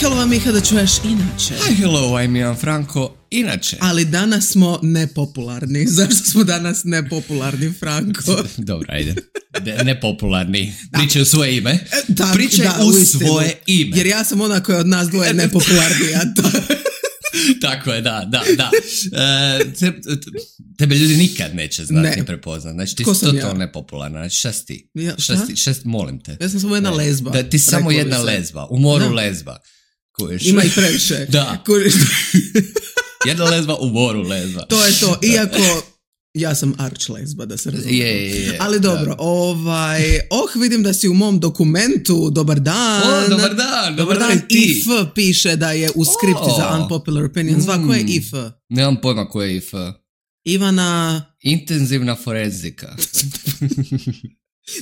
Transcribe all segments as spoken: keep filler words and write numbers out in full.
hello, Miha, da čuješ inače. Hi, hello, I'm Ivan Franko, inače. Ali danas smo nepopularni. Zašto smo danas nepopularni, Franko? Dobro, ajde. De, nepopularni. Pričaj u svoje ime. E, tak, Pričaj da, u uistinu. svoje ime. Jer ja sam ona koja je od nas dvoje nepopularnija. To... Tako je, da, da, da. E, te, tebe ljudi nikad neće znati ne. ni prepoznat. Znači ti Ko si sam totalno ja? nepopularna. Znači šta si ti? Ja, šta? Šta si, šta si, molim te. Ja sam samo jedna ne. lezba. Da, ti si samo jedna se. lezba. U moru da. lezba. Kužiš? Ima ih previše. Da. Kužiš? Jedna lezba u moru lezba. To je to. Iako... Ja sam arč lesba, da se razumije. Je, je, je. Ali dobro, da. ovaj, oh, vidim da si u mom dokumentu, dobar dan. O, dobar dan, dobar dan, dan ti. I F piše da je u skripti oh. za Unpopular Opinions. Mm. Ko je I F? Nemam pojma ko je I F. Ivana... Intenzivna forenzika.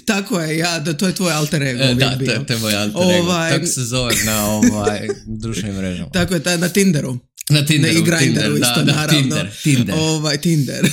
Tako je, ja, da, to je tvoj alter ego. E, da, to, to je moj alter ego. Ovaj... Tako se zove na ovaj, društvenim mrežama. Tako je, taj, na Tinderu. Na Tinderu, ne, i Grindru isto, da, da, naravno. Tinder, Tinder. Ovaj, Tinder.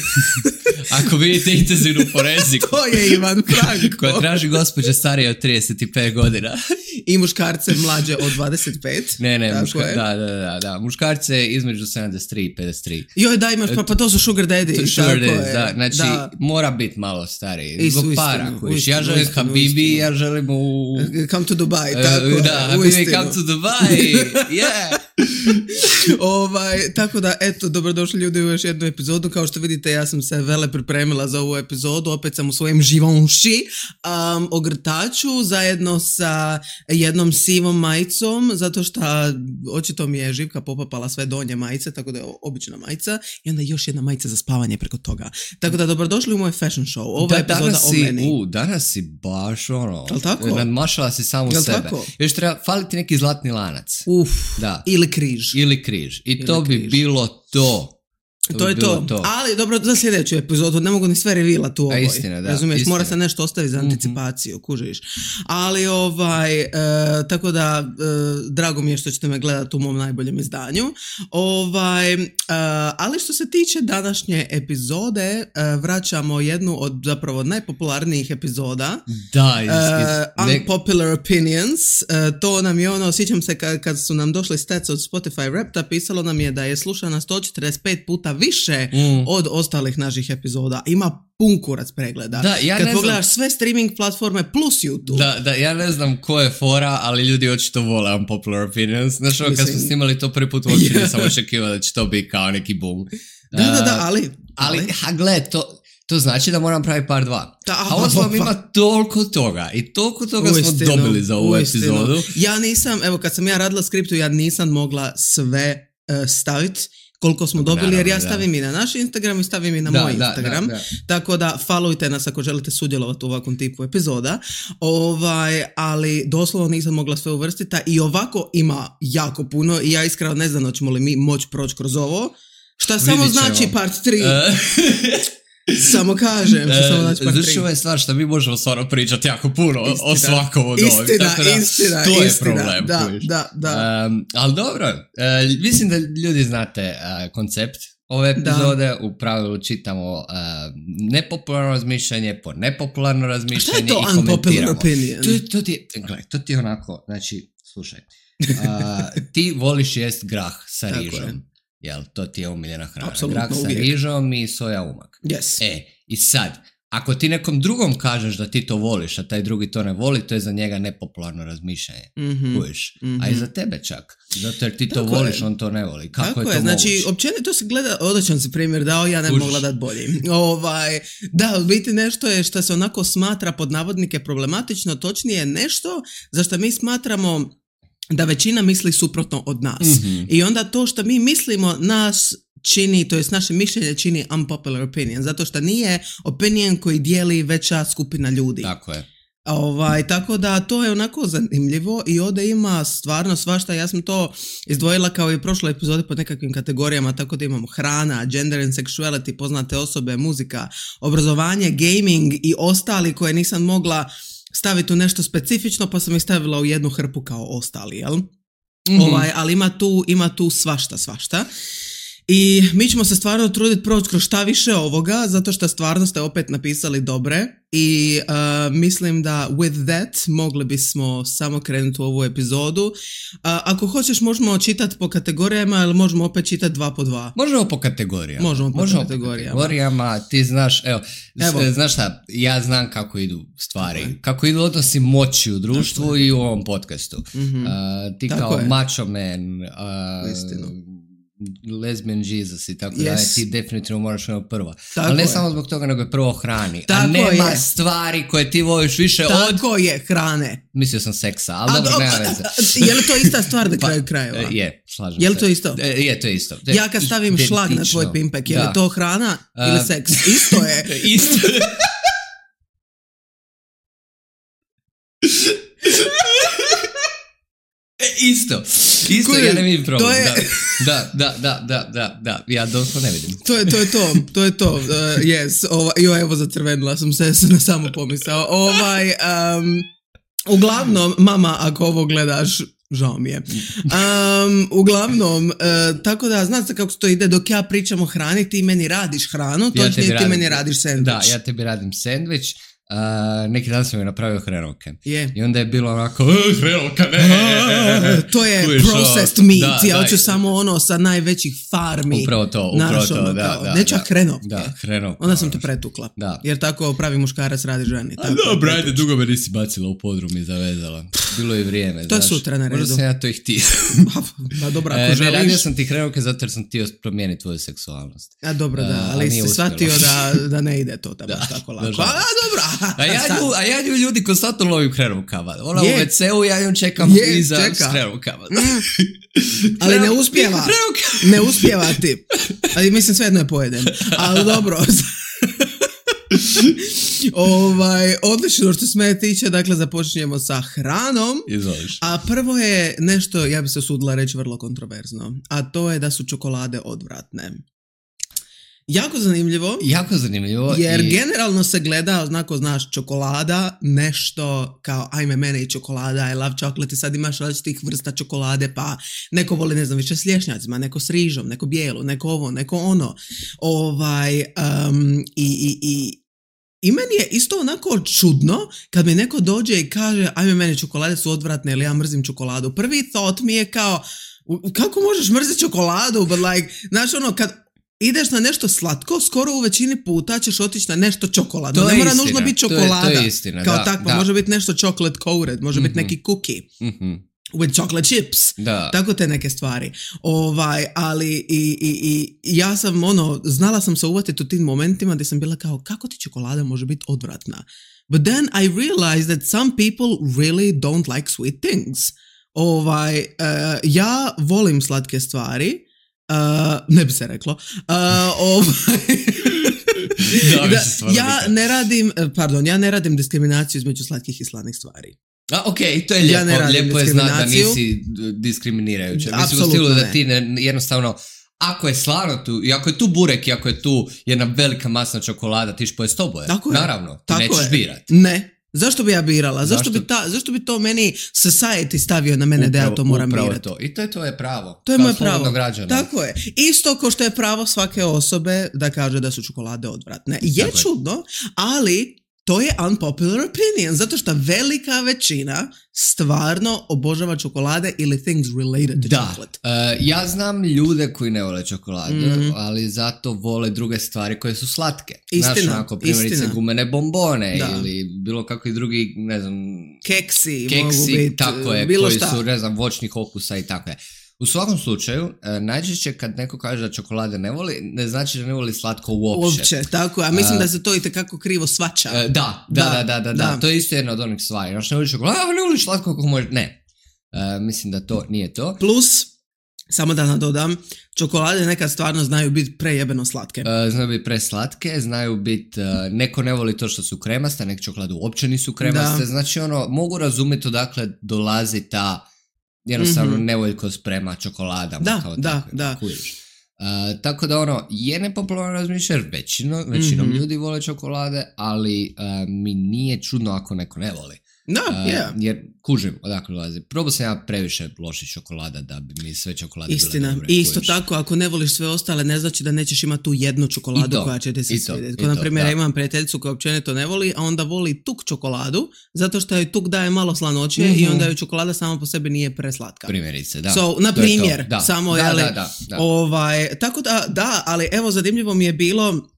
Ako vidite intenzivnu forenziku. To je Ivan Franko. Koja traži gospođe starije od trideset pet godina. I muškarce mlađe od dvadeset pet. Ne, ne, muška, da, da, da, da. Muškarce između sedamdeset tri i pedeset tri. Joj, da, imaš, pa, pa to su sugar daddy. To sugar daddy, da. Znači, da. Mora biti malo stariji. Zbog para. Ja želim Habibi, ja želim u... Come to Dubai, tako uh, Da, Habibi, come to Dubai. Yeah. ovaj, tako da, eto, dobrodošli ljudi u još jednu epizodu. Kao što vidite, ja sam se vele pripremila za ovu epizodu. Opet sam u svojem Givenchy um, ogrtaču zajedno sa jednom sivom majicom, zato što očito mi je Živka popapala sve donje majice, tako da je obična majica i onda još jedna majica za spavanje preko toga. Tako da, dobrodošli u moj fashion show. Ova da, epizoda si, o meni. U, danas si baš ono... Jel' tako? Nadmašala si samu Jel' sebe. tako? Još treba faliti neki zlatni lanac. Uf, da. Ili križ. Ili križ. I Ili to bi križ. bilo to. To, to je to. to. Ali dobro, za sljedeću epizodu ne mogu ni sve revila tu ovoj. Istina, da. Razumiješ, istina. mora se nešto ostaviti za anticipaciju, mm-hmm. kužiš. Ali ovaj, e, tako da, e, drago mi je što ćete me gledati u mom najboljem izdanju. Ovaj, e, ali što se tiče današnje epizode, e, vraćamo jednu od zapravo najpopularnijih epizoda. Da, is, is, uh, Unpopular Opinions. E, to nam je ono, sjećam se kad, kad su nam došli stats od Spotify Rapta, pisalo nam je da je slušana sto četrdeset pet puta više mm. od ostalih naših epizoda. Ima pun kurac pregleda. Da, ja kad ne pogledaš znam... sve streaming platforme plus YouTube. Da, da, ja ne znam ko je fora, ali ljudi očito vole Unpopular Opinions. Znaš, ovo kad smo snimali to prvi put uopće yeah. nisam očekivao da će to biti kao neki boom. Da, da, da, ali... Ali, ali ha, gled, to... To znači da moram praviti par dva. Da, a ovo vam ima toliko toga i toliko toga uistinu, smo dobili za ovu uistinu. epizodu. Ja nisam, evo kad sam ja radila skriptu, ja nisam mogla sve uh, staviti koliko smo dobili, naravno, jer ja stavim da. i na naš Instagram i stavim i na da, moj da, Instagram. Da, da. Tako da followujte nas ako želite sudjelovati u ovakvom tipu epizoda. Ovaj, ali doslovno nisam mogla sve uvrstiti i ovako ima jako puno i ja iskreno ne znam hoćemo li mi moći proći kroz ovo. Šta samo Vidit ćemo. znači part tri. Samo kažem, što samo znači part tri. Znači, ovo je stvar što mi možemo stvarno pričati jako puno istina, o svakom od ovih. Istina, da, istina, to je istina, problem. Da, da, da. Um, ali dobro, uh, mislim da ljudi znate uh, koncept ove epizode. Da. U pravilu čitamo uh, nepopularno razmišljanje po nepopularno razmišljanje i komentiramo. Šta je to unpopular opinion? To, to, ti, gledaj, to ti je onako, znači, slušaj, uh, ti voliš jest grah sa rižom. Jel, to ti je omiljena hrana. Apsolutno, grah sa uvijek. rižom i soja umak. Yes. E, i sad, ako ti nekom drugom kažeš da ti to voliš, a taj drugi to ne voli, to je za njega nepopularno razmišljanje. Mm-hmm. Kužiš? Mm-hmm. A i za tebe čak. Zato jer ti to Tako voliš, je. on to ne voli. Kako Tako je to je, znači, moguće? općenito se gleda, odličan si primjer dao, ja ne bi mogla dati bolji. Ovaj, da, u biti nešto je što se onako smatra pod navodnike problematično, točnije nešto za što mi smatramo da većina misli suprotno od nas. Mm-hmm. I onda to što mi mislimo nas čini, to jest naše mišljenje čini unpopular opinion, zato što nije opinion koji dijeli veća skupina ljudi. Tako je. Ovaj, tako da to je onako zanimljivo i ovdje ima stvarno svašta. Ja sam to izdvojila kao i u prošloj epizodi pod nekakvim kategorijama, tako da imamo hrana, gender and sexuality, poznate osobe, muzika, obrazovanje, gaming i ostali koje nisam mogla staviti u nešto specifično, pa sam ih stavila u jednu hrpu kao ostali, jel? Mm-hmm. Ovaj, ali ima tu, ima tu svašta, svašta. I mi ćemo se stvarno truditi proći kroz šta više ovoga, zato što stvarno ste opet napisali dobre i uh, mislim da with that mogli bismo samo krenuti u ovu epizodu. Uh, ako hoćeš možemo čitati po kategorijama ili možemo opet čitati dva po dva? Možemo po kategorijama. Možemo po možemo kategorijama. Po kategorijama. Ti znaš, evo, evo. znaš šta, ja znam kako idu stvari. Okay. Kako idu odnosi moći u društvu tako i u ovom podcastu. Mm-hmm. Uh, ti tako kao je. Macho man, uh, lesbian Jesus i tako yes. da ti definitivno moraš ono prvo. Tako ali ne je. Samo zbog toga, nego je prvo hrani. Tako a nema je. Stvari koje ti voliš više tako od... Tako je, hrane. Mislio sam seksa, ali dobro, do... nema veze. Je li to ista stvar na kraju krajeva? Pa, je, slažem se. Je li to isto? E, je, to je isto. De, ja kad stavim identično. Šlag na tvoj pimpek, je li to hrana uh, ili seks? Isto je. Isto je. Isto, isto, Kudim, ja ne vidim problem, je... da, da, da, da, da, da, ja doslovno ne vidim. To je to, je to, to je to, uh, yes, ova, jo, evo zacrvenila sam se, sam samo pomisao, ovaj, um, uglavnom, mama, ako ovo gledaš, žao mi je, um, uglavnom, uh, tako da, znate kako to ide, dok ja pričam o hrani, ti meni radiš hranu, točnije ja ti meni radiš sendvič. Da, ja tebi radim sendvič. Uh, neki dan sam joj napravio hrenovke yeah. i onda je bilo onako hrenovka ne to je Kujiš, processed meat da, ja hoću da, samo ono sa najvećih farmi upravo to, upravo naš, to ono, da, kao, da, neću da, hrenovke da, hrenovka, onda sam te pretukla da. Jer tako pravi muškarac radi ženi a dobro, ajde, dugo me nisi bacila u podrum i zavezala, bilo je vrijeme to je znaš, sutra na redu možda sam ja to i htio pa dobro, ako e, želiš ne, radio sam ti hrenovke zato jer sam htio promijeniti tvoju seksualnost a dobro da, ali si shvatio da, da ne ide to da baš tako lako a dobro a ja a ja nju ljudi konstantno lovim hrenovkama. Ona yeah. u ve ceu, ja njom čekam yeah, iza s hrenovkama. Mm. Ali ne uspijeva. Ne uspijeva ti. Ali mislim svejedno je pojedem. Ali dobro. ovaj, odlično što se mene tiče, dakle započinjemo sa hranom. Izvoliš. A prvo je nešto, ja bi se usudila reći vrlo kontroverzno, a to je da su čokolade odvratne. Jako zanimljivo. Jako zanimljivo. Jer i... generalno se gleda, znako znaš, čokolada, nešto kao ajme mene i čokolada, I love chocolate i sad imaš različitih vrsta čokolade, pa neko voli, ne znam, više s lješnjacima, neko s rižom, neko bijelu, neko ovo, neko ono. Ovaj, um, i, i, i, i meni je isto onako čudno kad mi neko dođe i kaže ajme mene čokolade su odvratne ili ja mrzim čokoladu. Prvi thought mi je kao, kako možeš mrziti čokoladu, but like, znaš ono, kad ideš na nešto slatko, skoro u većini puta ćeš otići na nešto čokoladno. Ne mora istina. Nužno biti čokolada. To je, to je istina, kao da, takvo, da. Može biti nešto chocolate coated, može mm-hmm. biti neki cookie. Mm-hmm. With chocolate chips. Da. Tako te neke stvari. Ovaj, ali i, i, i ja sam ono, znala sam se uvatiti u tim momentima gdje sam bila kao, kako ti čokolada može biti odvratna? But then I realized that some people really don't like sweet things. Ovaj, uh, ja volim slatke stvari. Uh, ne bi se reklo. Uh, ovaj, da, da, ja ne radim, pardon, ja ne radim diskriminaciju između slatkih i slanih stvari. A, ok, to je lijepo, ja lijepo je znati da nisi diskriminirajuća. Mislim u stilu da ti ne, jednostavno, ako je slano tu, i ako je tu burek, i ako je tu jedna velika masna čokolada, ti ćeš pojesti oboje. Naravno, ti tako nećeš je. Birati. Ne. Zašto bi ja birala? Zašto, zašto, bi, ta, zašto bi to meni society stavio na mene upravo, da ja to moram birati? To. I to je tvoje pravo. To je moje pravo. Građana. Tako je. Isto kao što je pravo svake osobe da kaže da su čokolade odvratne. Je tako čudno, je. Ali to je unpopular opinion, zato što velika većina stvarno obožava čokolade ili things related to da. chocolate. Da, uh, ja znam ljude koji ne vole čokolade, mm-hmm. ali zato vole druge stvari koje su slatke. Istina, znaš, onako, primjerice istina. Gumene bombone da. Ili bilo kakvi drugi, ne znam... Keksi, keksi mogu biti, tako je, bilo koji šta. su, ne znam, voćnih okusa i tako je. U svakom slučaju, najčešće kad neko kaže da čokolade ne voli, ne znači da ne voli slatko uopće. Uopće, tako je. A mislim uh, da se to itekako krivo svača. Da, da, da, da, da, da, da. To je isto jedna od onih stvari. Znaš, ne voli čokolade, a ne voli slatko kako može. Ne. Uh, mislim da to nije to. Plus, samo da nadodam, čokolade nekad stvarno znaju biti prejebeno slatke. Uh, znaju biti preslatke, znaju biti, uh, neko ne voli to što su kremaste, neke čokolade uopće nisu kremaste. Da. Znači, ono, mogu razumjeti odakle dolazi ta jednostavno mm-hmm. nevoljkost prema čokoladama. Da, kao da, takve, da. Uh, tako da ono, je nepopularno razmišljati, većino, većinom mm-hmm. ljudi vole čokolade, ali uh, mi nije čudno ako neko ne voli. No, yeah. uh, jer kužim odakle dolazi. Probao sam ja previše loših čokolada da bi mi sve čokolade Istina. bile dobre. I isto kužiš. tako, ako ne voliš sve ostale, ne znači da nećeš imati tu jednu čokoladu to, koja će ti se i to, svidjeti. i Ko, na to, primjer, da. ja imam prijateljicu koja općenito ne voli, a onda voli tuk čokoladu, zato što joj tuk daje malo slanoće mm-hmm. i onda joj čokolada sama po sebi nije preslatka. Primjerice, da. So, na primjer, da. samo, da, jeli, da, da, da. Ovaj, tako da, da, ali evo, zanimljivo mi je bilo,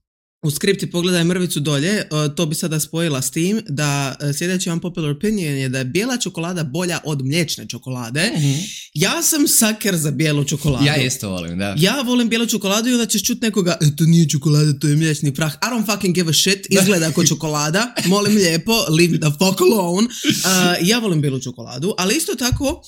u skripti pogledaj mrvicu dolje, uh, to bi sada spojila s tim, da uh, sljedeći unpopular opinion je da je bijela čokolada bolja od mliječne čokolade. Mm-hmm. Ja sam sucker za bijelu čokoladu. Ja isto volim, da. Ja volim bijelu čokoladu i onda ćeš čuti nekoga, e, to nije čokolada, to je mliječni prah. I don't fucking give a shit, izgleda ako čokolada, molim lijepo, leave the fuck alone. Uh, ja volim bijelu čokoladu, ali isto tako,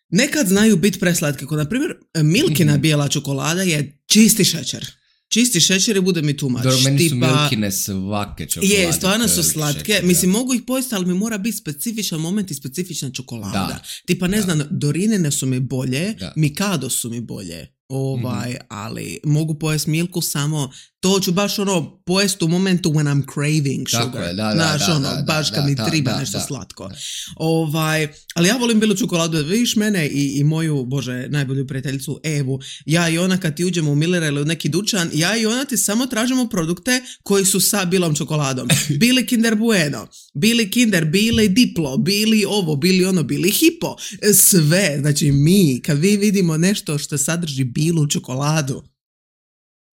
nekad znaju biti preslatke. Kod, na primjer, Milkina bijela čokolada je čisti šećer. Čisti šećer i bude mi too much. Dobro, meni su tipa, Milkine svake čokolade. Je, stvarno su slatke. Šećer, Mislim, mogu ih pojesti, ali mi mora biti specifičan moment i specifična čokolada. Da. Tipa, ne da. znam, Dorinine su mi bolje, da. Mikado su mi bolje. Ovaj, mm-hmm. ali mogu pojesti Milku samo, to ću baš ono pojesti u momentu when I'm craving sugar. Tako je, da, da, Znaš, da, ono, da, baš da, kad mi da, triba da, nešto da, slatko. da. Ovaj, ali ja volim bijelu čokoladu, vidiš mene i, i moju, bože, najbolju prijateljicu Evu, ja i ona kad ti uđemo u Millera ili u neki dućan, ja i ona ti samo tražimo produkte koji su sa bilom čokoladom. Bili Kinder Bueno, bili Kinder, bili Diplo, bili ovo, bili ono, bili Hipo, sve. Znači mi, kad vi vidimo nešto što sadrži bilu čokoladu,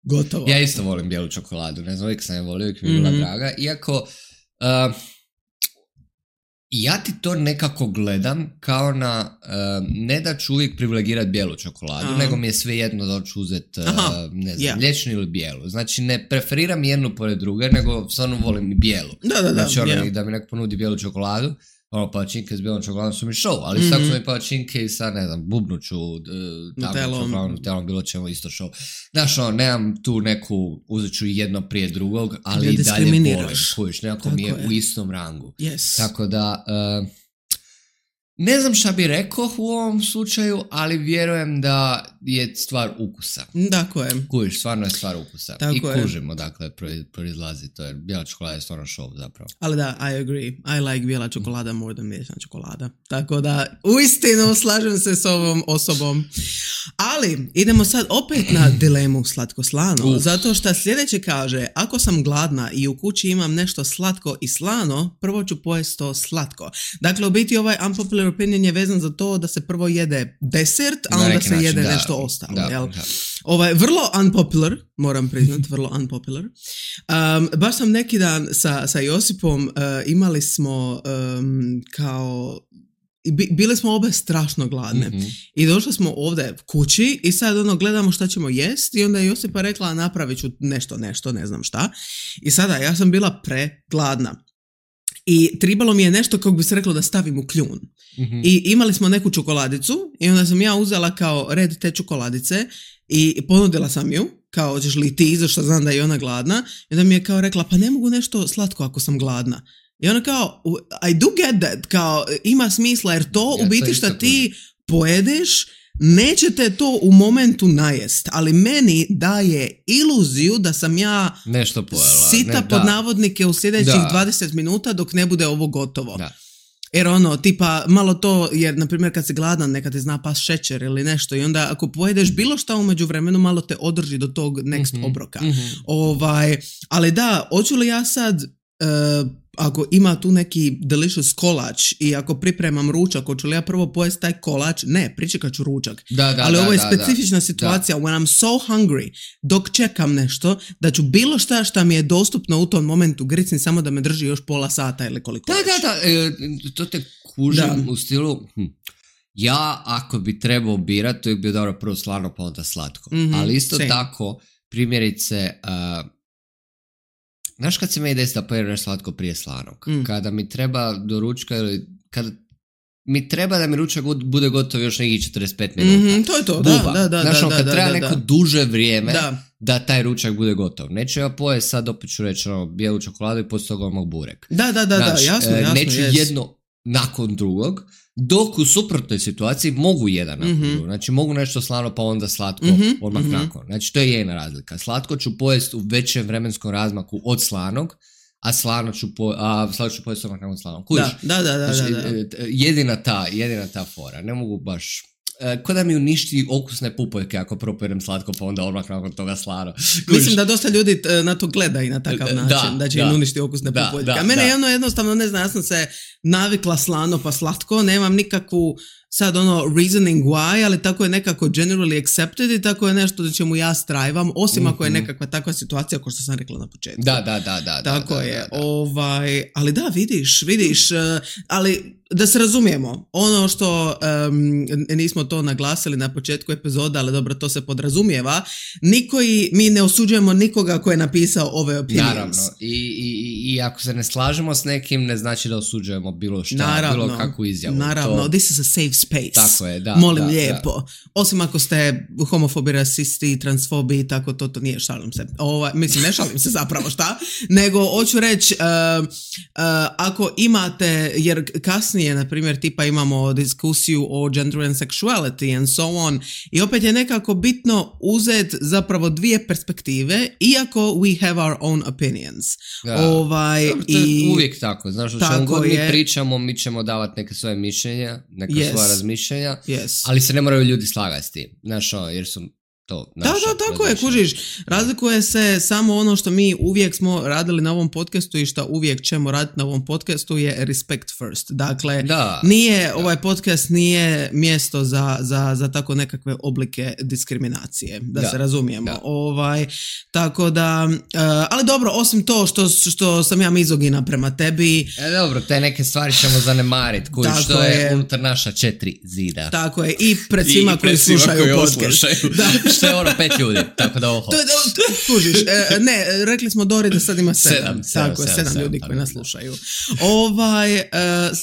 gotovo. Ja isto volim bijelu čokoladu, ne znam, uvijek sam je volio, uvijek mi je bila mm-hmm. draga, iako uh, ja ti to nekako gledam kao na, uh, ne da ću uvijek privilegirati bijelu čokoladu, Aha. nego mi je sve jedno da ću uzeti, uh, ne znam, yeah. mliječnu ili bijelu. Znači ne preferiram jednu pored druge, nego stvarno volim i bijelu. Da, da, da. Znači ono, yeah. da mi neko ponudi bijelu čokoladu, ono, palačinke s bijelom čokoladom su mi show, ali mm-hmm. tako su mi palačinke i sa, ne znam, bubnuću, nutelom, nutelom, bilo ćemo isto show. Znaš, ono, nemam tu neku, uzet ću jedno prije drugog, ali ja i dalje volim, kojiš, nekako mi je, je u istom rangu. Yes. Tako da, uh, ne znam šta bi rekao u ovom slučaju, ali vjerujem da je stvar ukusa. Tako je. Kužiš, stvarno je stvar ukusa. Tako I je. kužimo, dakle, proizlazi to, jer bijela čokolada je stvarno show zapravo. Ali da, I agree. I like bijela čokolada more than mliječna čokolada. Tako da, uistinu slažem se s ovom osobom. Ali, idemo sad opet na dilemu slatko-slano. Uh. Zato što sljedeće kaže, ako sam gladna i u kući imam nešto slatko i slano, prvo ću pojesti to slatko. Dakle, u biti ovaj unpopular opinion je vezan za to da se prvo jede desert, a onda se način, jede da, nešto ostalo. Da, jel? Da. Ovaj, vrlo unpopular, moram priznati, vrlo unpopular. Um, baš sam neki dan sa, sa Josipom uh, imali smo um, kao... Bile smo obe strašno gladne mm-hmm. i došli smo ovdje kući i sad ono gledamo šta ćemo jesti i onda je Josipa rekla napravit ću nešto, nešto, ne znam šta. I sada ja sam bila pregladna. I tribalo mi je nešto kako bi se reklo da stavim u kljun. Mm-hmm. I imali smo neku čokoladicu i onda sam ja uzela kao red te čokoladice i ponudila sam ju, kao hoćeš li ti, zašto znam da je ona gladna. I onda mi je kao rekla, pa ne mogu nešto slatko ako sam gladna. I ona kao, I do get that, kao ima smisla jer to ja, u biti što ti pojedeš, nećete to u momentu najest, ali meni daje iluziju da sam ja nešto pojela. sita ne, pod navodnike u sljedećih da. dvadeset minuta dok ne bude ovo gotovo. Da. Jer ono, tipa, malo to, jer na primjer kad si gladan nekad ti zna pas šećer ili nešto i onda ako pojedeš bilo šta u međuvremenu malo te održi do tog next mm-hmm. obroka. Mm-hmm. Ovaj, ali da, hoću li ja sad... Uh, ako ima tu neki delicious kolač i ako pripremam ručak, hoću li ja prvo pojesti taj kolač? Ne, pričekat ću ručak. Da, da, ali da, ovo je da, specifična da, situacija. Da. When I'm so hungry, dok čekam nešto, da ću bilo šta šta mi je dostupno u tom momentu gricni samo da me drži još pola sata ili koliko da, već. Da, da, e, to te kužim da. U stilu... Hm. Ja, ako bi trebao birati, to bi bio dobro prvo slano, pa onda slatko. Mm-hmm, ali isto same. Tako, primjerice... Uh, znaš kad se meni desi da pojedem nešto slatko prije slanog? Mm. Kada mi treba do ručka ili kada mi treba da mi ručak bude gotov još nekih četrdeset pet minuta. Mm-hmm, to je to, Buba. da, da, da. Znaš, da, kad da, treba da, neko da. duže vrijeme da. da taj ručak bude gotov. Neću ja pojesti sad, opet ću reći ono, bijelu čokoladu i poslije toga odmah burek. Da, da, da, znaš, da, jasno, jasno. Neću yes. jedno nakon drugog, dok u suprotnoj situaciji mogu jedan nakon mm-hmm. drugog. Znači mogu nešto slano pa onda slatko mm-hmm. odmah mm-hmm. nakon. Znači to je jedna razlika. Slatko ću pojesti u većem vremenskom razmaku od slanog, a slano ću, po, a slano ću pojesti omak nakon slano. Kužiš? Da, da, da, da, znači, da, da. Jedina ta, jedina ta fora. Ne mogu baš... Ko da mi uništi okusne pupoljke ako propiram slatko, pa onda odmah nakon toga slano. Kužiš? Mislim da dosta ljudi na to gleda i na takav način, da, da će da. im uništi okusne da, pupoljke. Da, a mene da. jedno jednostavno, ne znam, ja sam se navikla slano pa slatko, nemam nikakvu sad ono reasoning why, ali tako je nekako generally accepted i tako je nešto da čemu ja strajvam, osim mm-hmm. ako je nekakva takva situacija kao što sam rekla na početku. Da, da, da, da. Tako da, je. Da, da. Ovaj, ali da, vidiš, vidiš, uh, ali da se razumijemo, ono što um, nismo to naglasili na početku epizoda, ali dobro, to se podrazumijeva, niko i, mi ne osuđujemo nikoga ko je napisao ove opinions. Naravno, I, i, i ako se ne slažemo s nekim, ne znači da osuđujemo bilo šta, naravno, bilo kakvu izjavu. Naravno, to... this is a safe space. Tako je, da. Molim da, lijepo. Da. Osim ako ste homofobi, rasisti, transfobi, tako to, to nije, šalim se. Ova, mislim, ne šalim se zapravo, šta? Nego, hoću reći, uh, uh, ako imate, jer kasnije, na primjer, tipa imamo diskusiju o gender and sexuality and so on, i opet je nekako bitno uzeti zapravo dvije perspektive, iako we have our own opinions. Da. Ovaj, to i... je uvijek tako. Znaš, o čemu god mi pričamo, mi ćemo davati neke svoje mišljenja, neka yes. svoja razmišljenja, yes. ali se ne moraju ljudi slagati s tim. Znaš, jer su to naša. Da, da, tako je, kužiš. Razlikuje se samo ono što mi uvijek smo radili na ovom podcastu i što uvijek ćemo raditi na ovom podcastu je respect first. Dakle, da, nije, da. ovaj podcast nije mjesto za, za, za tako nekakve oblike diskriminacije, da, da se razumijemo. Da. Ovaj, tako da, uh, ali dobro, osim to što, što sam ja mizogina prema tebi. E, dobro, te neke stvari ćemo zanemariti, kužiš, što je, je unutar naša četiri zida. Tako je, i pred svima koji slušaju koji podcast. Da. Što je ono pet ljudi, tako da oho. Kužiš, e, ne, rekli smo Dori da sad ima sedam. Sedam, tako sedam, je, sedam, sedam ljudi koji nas slušaju. Ovaj, e,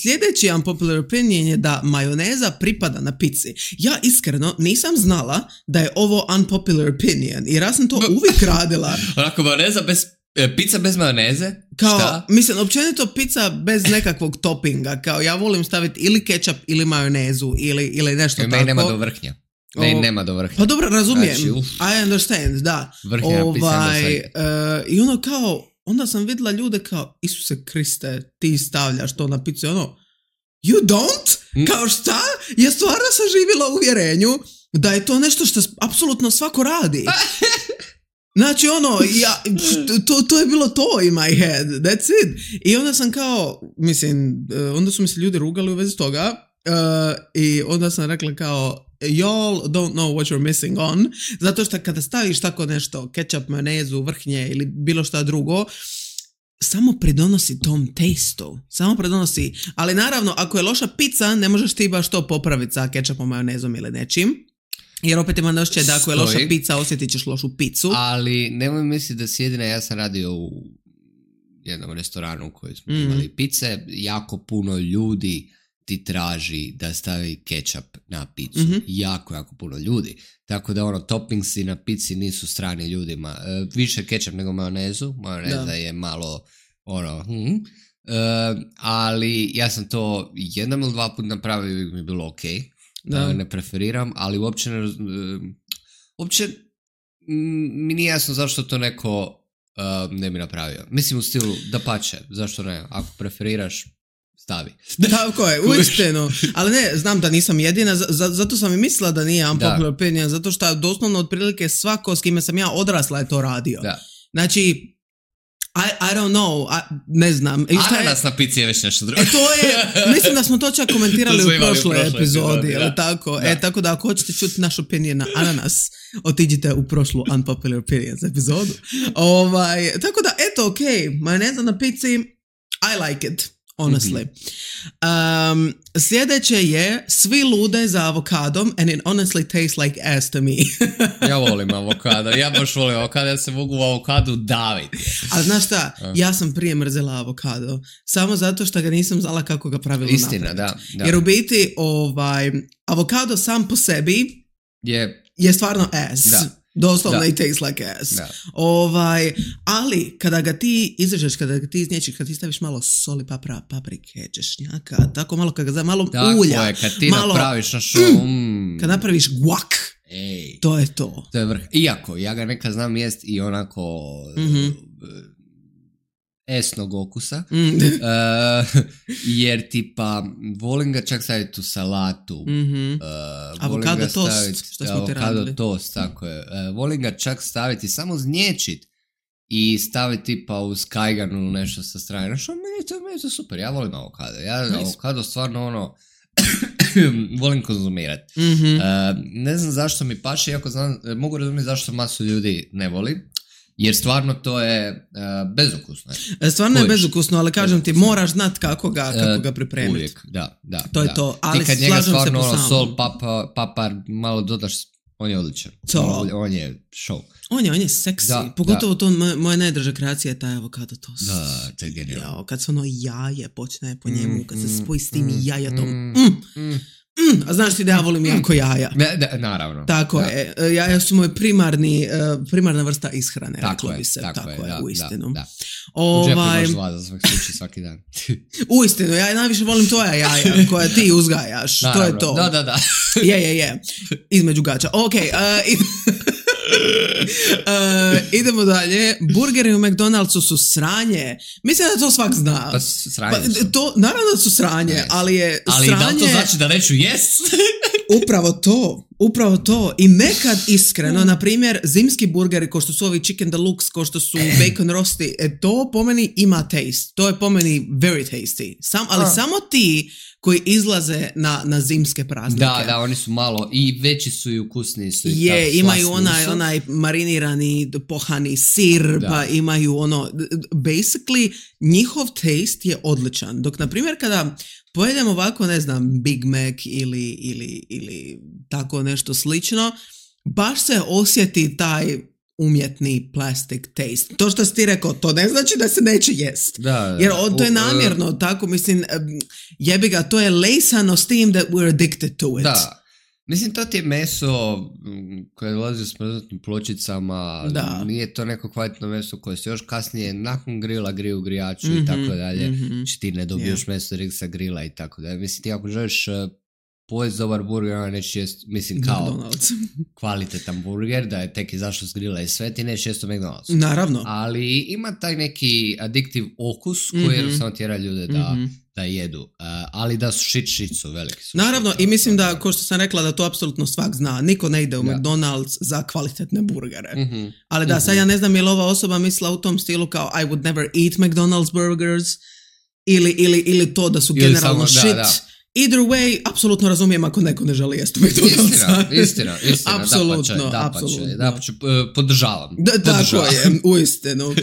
sljedeći unpopular opinion je da majoneza pripada na pici. Ja iskreno nisam znala da je ovo unpopular opinion, jer ja sam to uvijek radila. Onako, majoneza bez... Pizza bez majoneze? Kao, šta? Mislim, općenito pizza bez nekakvog toppinga. Kao, ja volim staviti ili kečap ili majonezu ili, ili nešto Jer tako. Meni nema do vrhnja. Ne, o, nema do vrhnja. Pa dobro, razumijem. Znači, I understand, da. Vrhnja ovaj, uh, I ono kao, onda sam vidjela ljude kao, Isuse Kriste, ti stavljaš to na picu. Ono, you don't? Mm. Kao šta? Ja stvarno sam živjela u uvjerenju da je to nešto što apsolutno svako radi. Znači ono, ja, to, to je bilo to in my head, that's it. I onda sam kao, mislim, onda su mi se ljudi rugali u vezi toga uh, i onda sam rekla kao, y'all don't know what you're missing on, zato što kada staviš tako nešto, ketchup, majonezu, vrhnje ili bilo šta drugo, samo pridonosi tom testu, samo pridonosi, ali naravno, ako je loša pizza, ne možeš ti baš to popraviti sa ketchupom, majonezom ili nečim. Jer opet imam osjećaj da ako je loša pizza, osjetit ćeš lošu picu. Ali nemoj misliti da si jedina, ja sam radio u jednom restoranu u kojoj smo mm. imali pice, jako puno ljudi ti traži da stavi kečap na picu. Mm-hmm. Jako, jako puno ljudi. Tako da ono, toppingsi na pici nisu strani ljudima. E, više kečap nego majonezu. Majoneza da. je malo ono... Hm. E, ali ja sam to jednom ili dva put napravio i mi je bilo ok. Da. Ne preferiram, ali uopće ne, uopće mi nije jasno zašto to neko uh, ne bi napravio. Mislim u stilu da pače, zašto ne? Ako preferiraš, stavi. Tako je, uistinu. Ali ne, znam da nisam jedina, z- zato sam i mislila da nije unpopular opinion, zato što doslovno otprilike svako s kime sam ja odrasla je to radio. Da. Znači, I, I don't know, I, ne znam. Ananas na pici je već nešto drugo. E, to je, mislim da smo to čak komentirali u prošloj epizodi, ali tako? Da. E, tako da ako hoćete čuti naš opinion na ananas, otiđite u prošlu unpopular opinions epizodu. Ovaj, tako da, eto, ok, majoneza na pici, I like it. Honestly. Mm-hmm. Um, sljedeće je svi lude za avokadom and it honestly tastes like ass to me. Ja volim avokado. Ja baš volim avokado. Ja se mogu u avokadu daviti. Ali znaš šta? Ja sam prije mrzela avokado. Samo zato što ga nisam znala kako ga pravilno napraviti. Istina, da, da. Jer u biti ovaj, avokado sam po sebi je, je stvarno ass. Da. Doslovno i tastes like ass. Da. Ovaj, ali kada ga ti izrežeš, kada ga ti iznječiš, kada ti staviš malo soli, papra, paprike, češnjaka, tako malo kada ga malo tako ulja. Tako je, kad ti malo, napraviš na šo, mm, kad napraviš guak, ej, to je to. To je vrh. Iako, ja ga nekad znam jest i onako mm-hmm. esnog okusa, Mm. uh, jer tipa volim ga čak staviti u salatu, Mm-hmm. uh, avokado toast, što smo ti avokado radili. toast, tako je. Uh, volim ga čak staviti, samo znječit i staviti tipa uz kajgan ili nešto sa strane. Nešto, meni, to, meni to super, ja volim avokado. Ja Nice. avokado stvarno ono volim konzumirati. Mm-hmm. Uh, ne znam zašto mi paše, iako znam, mogu razumjeti zašto masu ljudi ne voli, jer stvarno to je uh, bezukusno. Stvarno je Kojiš? bezukusno, ali kažem ti, Bezukusno. moraš znat kako ga, kako ga pripremiti. Uvijek, da, da. To je da. to, ali ti kad njega slažem se stvarno po ono, samom. sol, papa, papar, malo dodaš, on je odličan. To. On, on je show. On je, on je seksi. Da, Pogotovo to moja, moja najdraža kreacija je taj avokado toast. Da, to je genijalno. Jao, kad se ono jaje počne po njemu, kad se Mm, spoji s tim mm, jajatom. mm, Mm, mm. mm. A znaš ti da ja volim jako jaja. Ne, da, naravno. Tako da. je. Jaja su moj primarni, uh, primarna vrsta ishrane, Tako reklo je, bi se. tako, Tako, je, je, da, u istinu. Da, da. U džepu Ovaj, imaš dva za svaki slučaj svaki dan. u istinu, ja najviše volim tvoja jaja koja ti uzgajaš. To je to. Da, da, da. Je, je, je. Između gača. Ok, uh, id- uh, idemo dalje. Burgeri u McDonald'su su sranje. Mislim da to svak zna. Pa sranje Pa, su. to, naravno da su sranje, Ne. ali je Ali sranje... da li to znači da neću jest? Upravo to, upravo to. I nekad iskreno, na primjer, zimski burgeri, ko što su ovi chicken deluxe, ko što su bacon rosti, e, to po meni ima taste. To je po meni very tasty. Sam, ali A. samo ti koji izlaze na, na zimske praznike. Da, da, oni su malo i veći su i ukusniji su. I Je, tako imaju slasni onaj, su. onaj marinirani pohani sir, Da. pa imaju ono, basically njihov taste je odličan. Dok, na primjer, kada pojedem ovako, ne znam, Big Mac ili, ili, ili tako nešto slično, baš se osjeti taj umjetni plastic taste. To što si ti rekao, to ne znači da se neće jest. Da, da. Jer o, to je U- namjerno, tako, mislim, em, jebi ga, to je lejsano s tim that we're addicted to it. Da. Mislim, to ti je meso mm, koje dolazi u smrznutim pločicama, Da. nije to neko kvalitetno meso koje se još kasnije nakon grila griju u grijaču Mhm, i tako dalje. mhm. Znači ti ne dobiješ meso direkt sa grila i tako dalje. Mislim, ti ako želiš uh, pojesti dobar burger, ona neće jest, mislim, kao McDonald's. kvalitetan burger, da je tek izašao s grila i sve, ti neće jest u McDonald'su. Naravno. Ali ima taj neki addiktiv okus koji Mhm. jednostavno tjera ljude da, Mhm. da jedu. Uh, ali da su shit shit su, veliki su. Naravno, shit, i mislim da, ono. ko što sam rekla, da to apsolutno svak zna. Niko ne ide u Da. McDonald's za kvalitetne burgere. Mhm. Ali da, sad Mhm. ja ne znam je li ova osoba mislila u tom stilu kao I would never eat McDonald's burgers ili, ili, ili to da su Ili generalno samo- da, shit. da. Either way, apsolutno razumijem ako neko ne želi jesti u McDonald's. Istina, istina, istina, Apsolutno, dapače, dapače, apsolutno. dapače, p- podržavam. Da, tako podržavam. je, uistinu.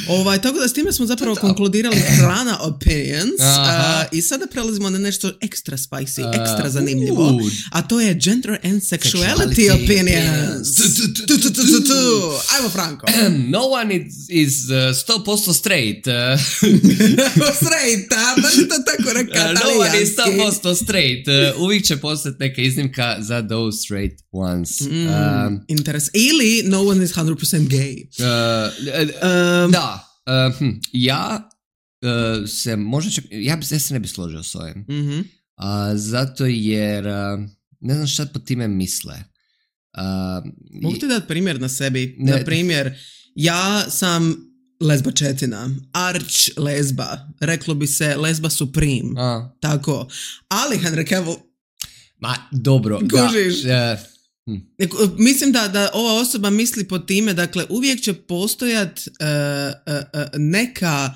Ovaj, tako da s time smo zapravo To. konkludirali hrana opinions Aha. uh, i sada prelazimo na nešto ekstra spicy, Uh, ekstra zanimljivo. uh. A to je gender and sexuality Sexuality opinions. opinions. Tu, tu, Tu, tu, tu, tu, tu, tu. Ajmo Franko. No one is, is uh, sto posto straight. Uh, Straight, a? Baš je to tako reka uh, no one is sto talijanski. posto straight. Uh, uvijek će postati neka iznimka za those straight ones. Mm, Um, interes. Ili no one is one hundred percent gay. uh, Um, da, uh, hm, ja uh, se možda čak, ja, bi, ja se ne bi složio s ovim. mhm. Uh, zato jer uh, ne znam šta po time misle. Uh, Mogu ti dati primjer na sebi? Ne. Na primjer, ja sam lezbačetina, arč lezba, reklo bi se lezba supreme, a, tako. Ali Henry Cavill, ma, dobro. Kužiš? Da, uh, Neko- mislim da, da ova osoba misli pod time, dakle uvijek će postojat uh, uh, uh, neka,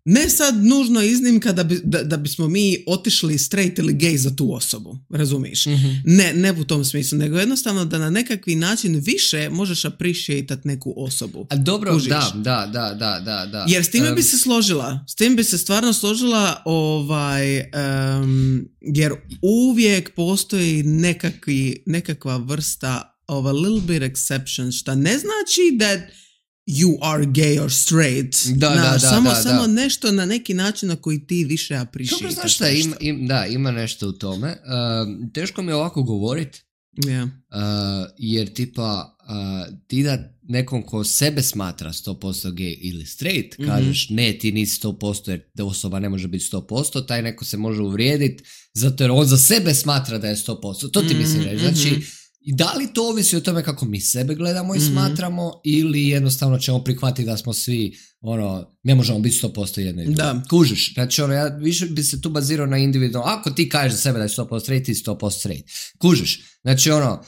ne sad nužno iznimka da, bi, da, da bismo mi otišli straight ili gay za tu osobu, razumiješ? mhm. Ne, ne u tom smislu, nego jednostavno da na nekakvi način više možeš appreciatat neku osobu. A dobro, Kužiš? da, da, da, da, da, da. Jer s time Um, bi se složila, s tim bi se stvarno složila, ovaj, um, jer uvijek postoji nekakvi, nekakva vrsta of a little bit exception, šta ne znači that you are gay or straight. Da, da, Znaš, da, samo, da, samo da. nešto na neki način na koji ti više Dobro, appreciataš. znaš šta, ima, im, da, ima nešto u tome. Um, teško mi je ovako govorit, Yeah. uh, jer tipa uh, ti da nekom ko sebe smatra sto posto gay ili straight, Mhm. kažeš ne, ti nisi sto posto jer da osoba ne može biti sto posto, taj neko se može uvrijediti zato jer on za sebe smatra da je sto posto. To ti Mhm, mislim reći. Znači, mhm. I da li to ovisi o tome kako mi sebe gledamo i mm-hmm. smatramo ili jednostavno ćemo prihvatiti da smo svi, ono, ne možemo biti sto posto jedno i drugo. Da. Kužiš, znači ono, ja više bi se tu bazirao na individualno, ako ti kažeš za sebe da je sto posto straight, ti sto posto straight. Kužiš, znači ono,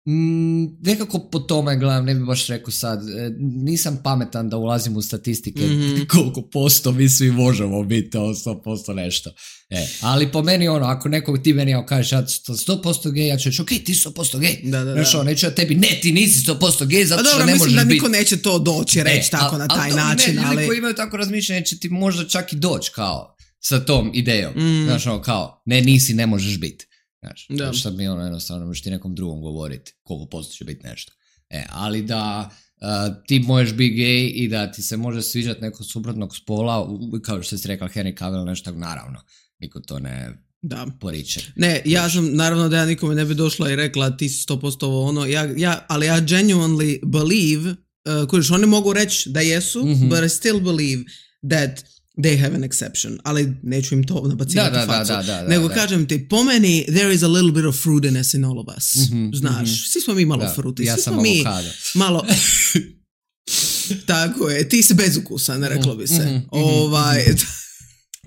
Mm, nekako po tome gledam, ne bi baš rekao sad, e, nisam pametan da ulazim u statistike mm-hmm. koliko posto mi svi možemo biti, ovo sto posto nešto. E, ali po meni ono, ako nekog ti meni kažeš ja sto posto gej, ja ću reći ok, ti sto posto gej. Da, da, znači, ono, neću ja tebi, ne, ti nisi sto posto gej, zato što ne možeš biti. Mislim da niko neće to doći reći e, tako a, na taj a, način. Ne, ali... ljudi koji imaju tako razmišljanje će ti možda čak i doći kao sa tom idejom. Mm. Znači ono kao, ne, nisi, ne možeš biti. Znaš, da. Što mi ono jednostavno možeš ti nekom drugom govoriti koliko posto će biti nešto. E, ali da uh, ti možeš biti gej i da ti se može sviđati nekog suprotnog spola, kao što si rekla Henry Cavill, nešto tako, naravno, niko to ne da. Poriče. Ne, ja sam, naravno da ja nikome ne bi došla i rekla ti si sto posto ovo ono, ja, ja, ali ja genuinely believe, uh, kojiš, oni mogu reći da jesu, mm-hmm. but I still believe that they have an exception, ali neću im to nabacivati da, facu. Da, da, da, da, nego da. Kažem ti, po meni there is a little bit of fruitiness in all of us. Mm-hmm, znaš, mm-hmm. svi smo mi malo da, fruti. Ja svi sam smo mi avokado. Malo... Tako je, ti si bezukusan, reklo bi se. Mm-hmm, ovaj...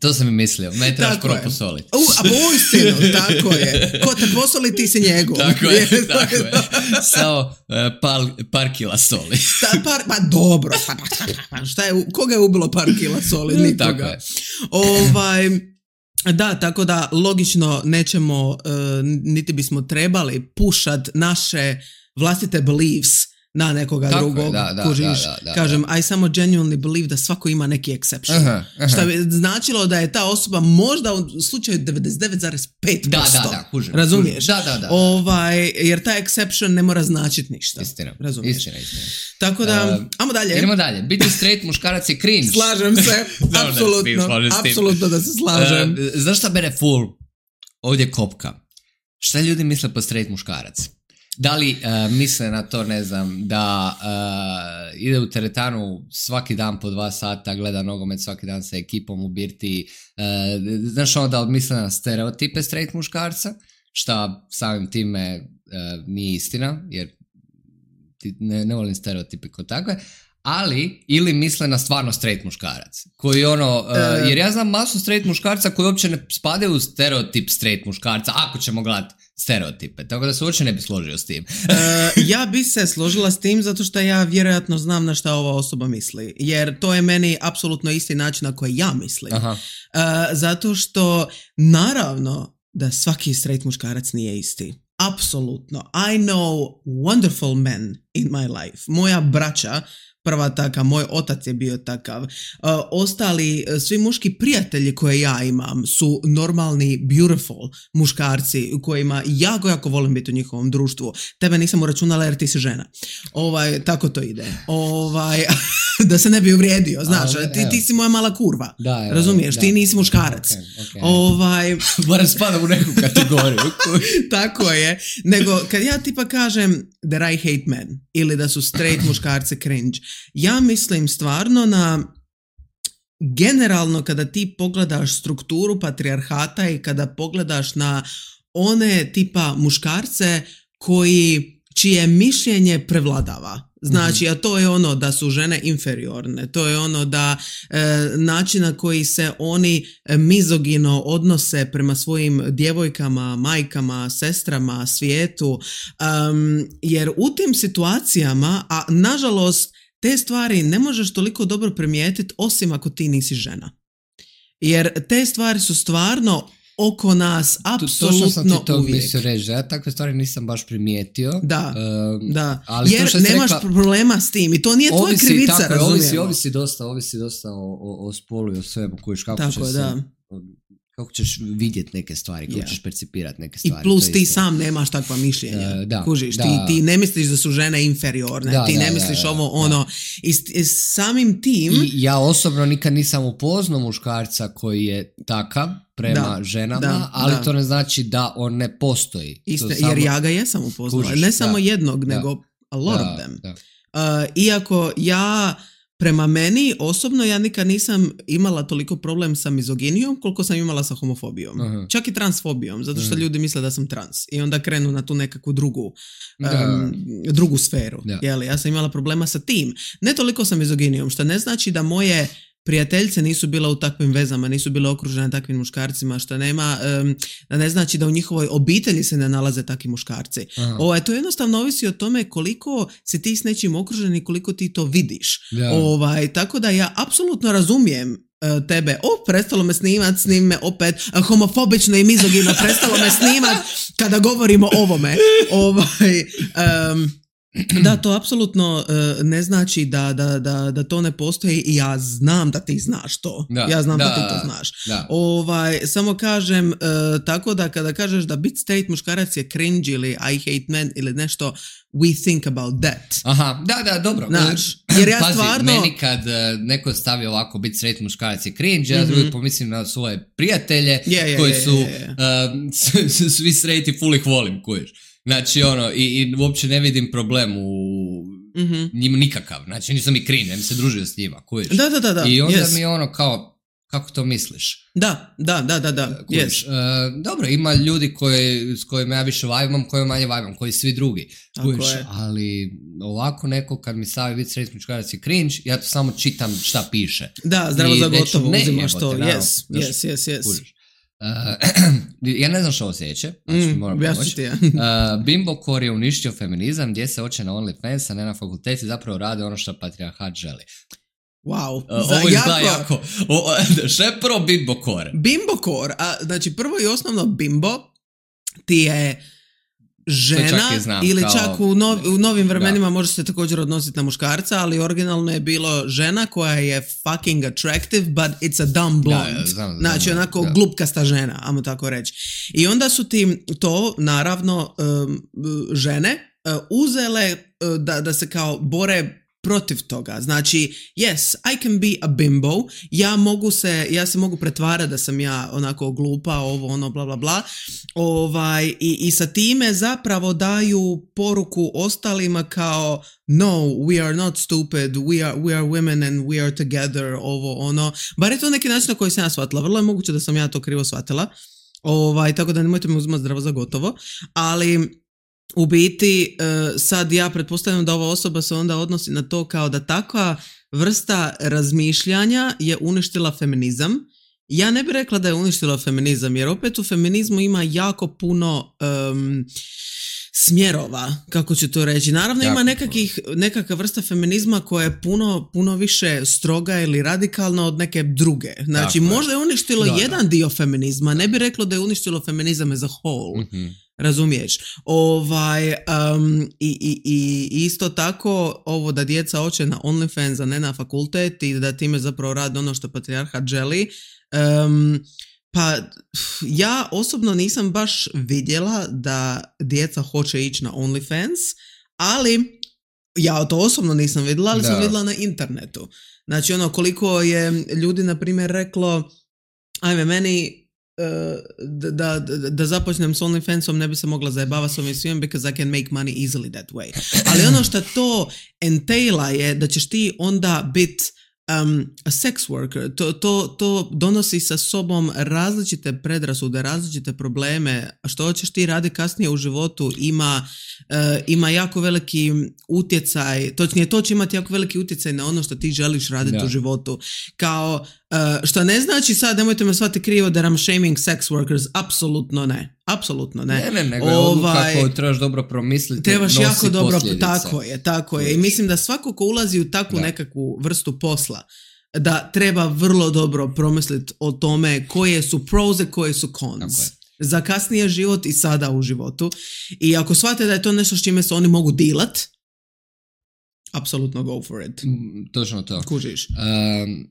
To sam i mislio, me trebaš prvo posoliti. U, a po uistinu, tako je. Ko te posoli, ti si njegov. Tako je, tako je. Samo uh, par, par kila soli. Ta, par, pa dobro, šta je, koga je ubilo par kila soli? Nikoga. Tako je. Ovaj, da, tako da logično nećemo, uh, niti bismo trebali pušat naše vlastite beliefs na nekoga tako drugog, da, da, kužiš, da, da, da, kažem, da. I samo genuinely believe da svako ima neki exception. Aha, aha. Što bi značilo da je ta osoba možda u slučaju devedeset devet zarez pet posto. Da, da, da, kužim. Razumiješ? Da, da, da, da. Ovaj, jer ta exception ne mora značiti ništa. Istina, razumiješ? istina, istina. Tako da, uh, ajmo dalje. Idemo dalje. Biti straight muškarac je cringe. Slažem se, apsolutno, apsolutno da se slažem. Uh, znaš šta mene full ovdje kopka? Šta ljudi misle po straight muškarac? Da li uh, misle na to, ne znam, da uh, ide u teretanu svaki dan po dva sata, gleda nogomet svaki dan sa ekipom u birti, uh, znaš ono da misle na stereotipe straight muškarca, šta samim time uh, nije istina, jer ti ne, ne volim stereotipe kao takve, ali ili misle na stvarno straight muškarac, koji ono, uh, uh, jer ja znam masu straight muškarca koji uopće ne spadaju u stereotip straight muškarca, ako ćemo gledati stereotipe, tako da se uopće ne bi složio s tim. uh, ja bi se složila s tim zato što ja vjerojatno znam na šta ova osoba misli, jer to je meni apsolutno isti način na koji ja mislim. Aha. Uh, zato što naravno da svaki straight muškarac nije isti. Apsolutno. I know wonderful men in my life. Moja braća prva taka, moj otac je bio takav. Uh, ostali, svi muški prijatelji koje ja imam su normalni, beautiful muškarci u kojima jako, jako volim biti u njihovom društvu. Tebe nisam uračunala jer ti si žena. Ovaj, tako to ide. Ovaj, da se ne bi uvrijedio, znaš, ali, ti, ti si moja mala kurva. Da, evo, razumiješ, da, ti nisi muškarac. Okay, okay. Ovaj... Moram spadam u neku kategoriju. Tako je. Nego, kad ja tipa kažem that I hate men ili da su straight muškarci cringe, ja mislim stvarno na generalno kada ti pogledaš strukturu patrijarhata i kada pogledaš na one tipa muškarce koji, čije mišljenje prevladava. Znači, a to je ono da su žene inferiorne, to je ono da e, način na koji se oni mizogino odnose prema svojim djevojkama, majkama, sestrama, svijetu, um, jer u tim situacijama, a nažalost te stvari ne možeš toliko dobro primijetiti osim ako ti nisi žena. Jer te stvari su stvarno oko nas apsolutno uvijek. Točno sam ti to mislio reći, ja takve stvari nisam baš primijetio. Da, um, da. Ali jer nemaš rekla, problema s tim i to nije tvoja krivica, tako, razumijemo. Ovisi, ovisi dosta, ovisi dosta o, o, o spolu i o svemu kojiš kako tako, će da. se... Kako ćeš vidjeti neke stvari, kako yeah. ćeš percipirati neke stvari. I plus ti sam nemaš takva mišljenja. Uh, da, Kužiš, da. Ti, ti ne misliš da su žene inferiorne, da, ti da, ne misliš da, ovo, da, ono. Da. I, I samim tim... I ja osobno nikad nisam upoznao muškarca koji je takav prema da, ženama, da, ali da. to ne znači da on ne postoji. Iste, samo... Jer ja ga jesam upoznala. Ne samo da, jednog, da, nego a lot da, of them. Da. Uh, iako ja... prema meni, osobno ja nikad nisam imala toliko problem sa mizoginijom koliko sam imala sa homofobijom. Uh-huh. Čak i transfobijom, zato što uh-huh. ljudi misle da sam trans. I onda krenu na tu nekakvu drugu, um, drugu sferu. Yeah. Jeli? Ja sam imala problema sa tim. Ne toliko sa mizoginijom, što ne znači da moje prijateljice nisu bila u takvim vezama, nisu bile okružene takvim muškarcima, što nema, um, da ne znači da u njihovoj obitelji se ne nalaze takvi muškarci. Ovaj, to jednostavno ovisi o tome koliko si ti s nečim okružen i koliko ti to vidiš. Yeah. Ovaj, tako da ja apsolutno razumijem uh, tebe. O, prestalo me snimat, snim me opet, uh, homofobično i mizogino, prestalo me snimat kada govorimo o ovome. Ovaj, um, Da, to apsolutno uh, ne znači da, da, da, da to ne postoji i ja znam da ti znaš to. Da, ja znam da, da ti to znaš. Da. Ovaj, samo kažem uh, tako da kada kažeš da bit straight muškarac je cringe ili I hate men ili nešto, we think about that. Aha, da, da, dobro. Znaš, jer ja Pazi, stvarno... meni kad uh, neko stavi ovako bit straight muškarac je cringe, ja mm-hmm. pomislim na svoje prijatelje yeah, yeah, koji su yeah, yeah. Uh, svi straight i full ih volim, kuješ. Znači, ono, i, i uopće ne vidim problem u mm-hmm. njima nikakav. Znači, nisam mi cringe, ja mi se družio s njima, kuješ. Da, da, da, da. I onda yes. mi je ono kao, kako to misliš? Da, da, da, da, da. Yes. Uh, dobro, ima ljudi koji, s kojima ja više vibam, koji manje vibam, koji svi drugi. Kuješ, ali ovako neko kad mi stavi bit straight muškarac je cringe, ja to samo čitam šta piše. Da, zdravo za gotovo uzimaš to. Yes, yes, yes, yes. Kuješ. Uh, ja ne znam što osjeća, znači mm, moram pomoći. Ja. uh, Bimbo Core je uništio feminizam, gdje se oče na OnlyFans, a ne na fakulteti, zapravo rade ono što patrijarhat želi. Wow, uh, ovo izgleda jako... O, što je prvo Bimbo Core? Bimbo Core, a, znači prvo i osnovno Bimbo ti je žena znam, ili kao... čak u, nov, u novim vremenima da. Može se također odnositi na muškarca, ali originalno je bilo žena koja je fucking attractive, but it's a dumb blonde. Da, ja, znam, znači znam, onako da. Glupkasta žena, ajmo tako reći. I onda su ti to, naravno, um, žene uh, uzele uh, da, da se kao bore protiv toga. Znači, yes, I can be a bimbo, ja mogu se, ja se mogu pretvarati da sam ja onako glupa, ovo, ono, bla, bla, bla. Ovaj, i, i sa time zapravo daju poruku ostalima kao no, we are not stupid, we are, we are women and we are together, ovo, ono. Bar je to neki način na koji sam ja shvatila. Vrlo je moguće da sam ja to krivo shvatila. Ovaj, tako da nemojte me uzimati zdravo za gotovo. Ali u biti, sad ja pretpostavljam da ova osoba se onda odnosi na to kao da takva vrsta razmišljanja je uništila feminizam. Ja ne bih rekla da je uništila feminizam, jer opet u feminizmu ima jako puno um, smjerova, kako ću to reći. Naravno jako ima nekakih, nekakva vrsta feminizma koja je puno, puno više stroga ili radikalna od neke druge. Znači, tako možda je uništilo da, jedan da. dio feminizma, ne bi reklo da je uništilo feminizam as a whole. Mm-hmm. Razumiješ? Ovaj, um, i, i, i isto tako ovo da djeca hoće na OnlyFans, a ne na fakultet i da time zapravo radi ono što patrijarhat želi. Um, pa ja osobno nisam baš vidjela da djeca hoće ići na OnlyFans, ali ja to osobno nisam vidjela, ali da. sam vidjela na internetu. Znači ono koliko je ljudi na primjer reklo ajme meni Da, da, da započnem s OnlyFansom ne bi se mogla zajebavati s ovim svim because I can make money easily that way. Ali ono što to entaila je da ćeš ti onda biti um, a sex worker. To, to, to donosi sa sobom različite predrasude, različite probleme. Što hoćeš ti raditi kasnije u životu ima, uh, ima jako veliki utjecaj, točnije to će imati jako veliki utjecaj na ono što ti želiš raditi da. u životu. Kao Uh, što ne znači sad, nemojte me shvatiti krivo da I'm shaming sex workers, apsolutno ne, apsolutno ne. Ne, ne, nego je odluka koju trebaš dobro promisliti, trebaš jako dobro, posljedice. Tako je, tako je. I mislim da svako ko ulazi u takvu da. nekakvu vrstu posla, da treba vrlo dobro promisliti o tome koje su pros i koje su cons. Za kasnije život i sada u životu. I ako shvate da je to nešto s čime se oni mogu dilat, apsolutno go for it. Mm, točno to. Kužiš. Um,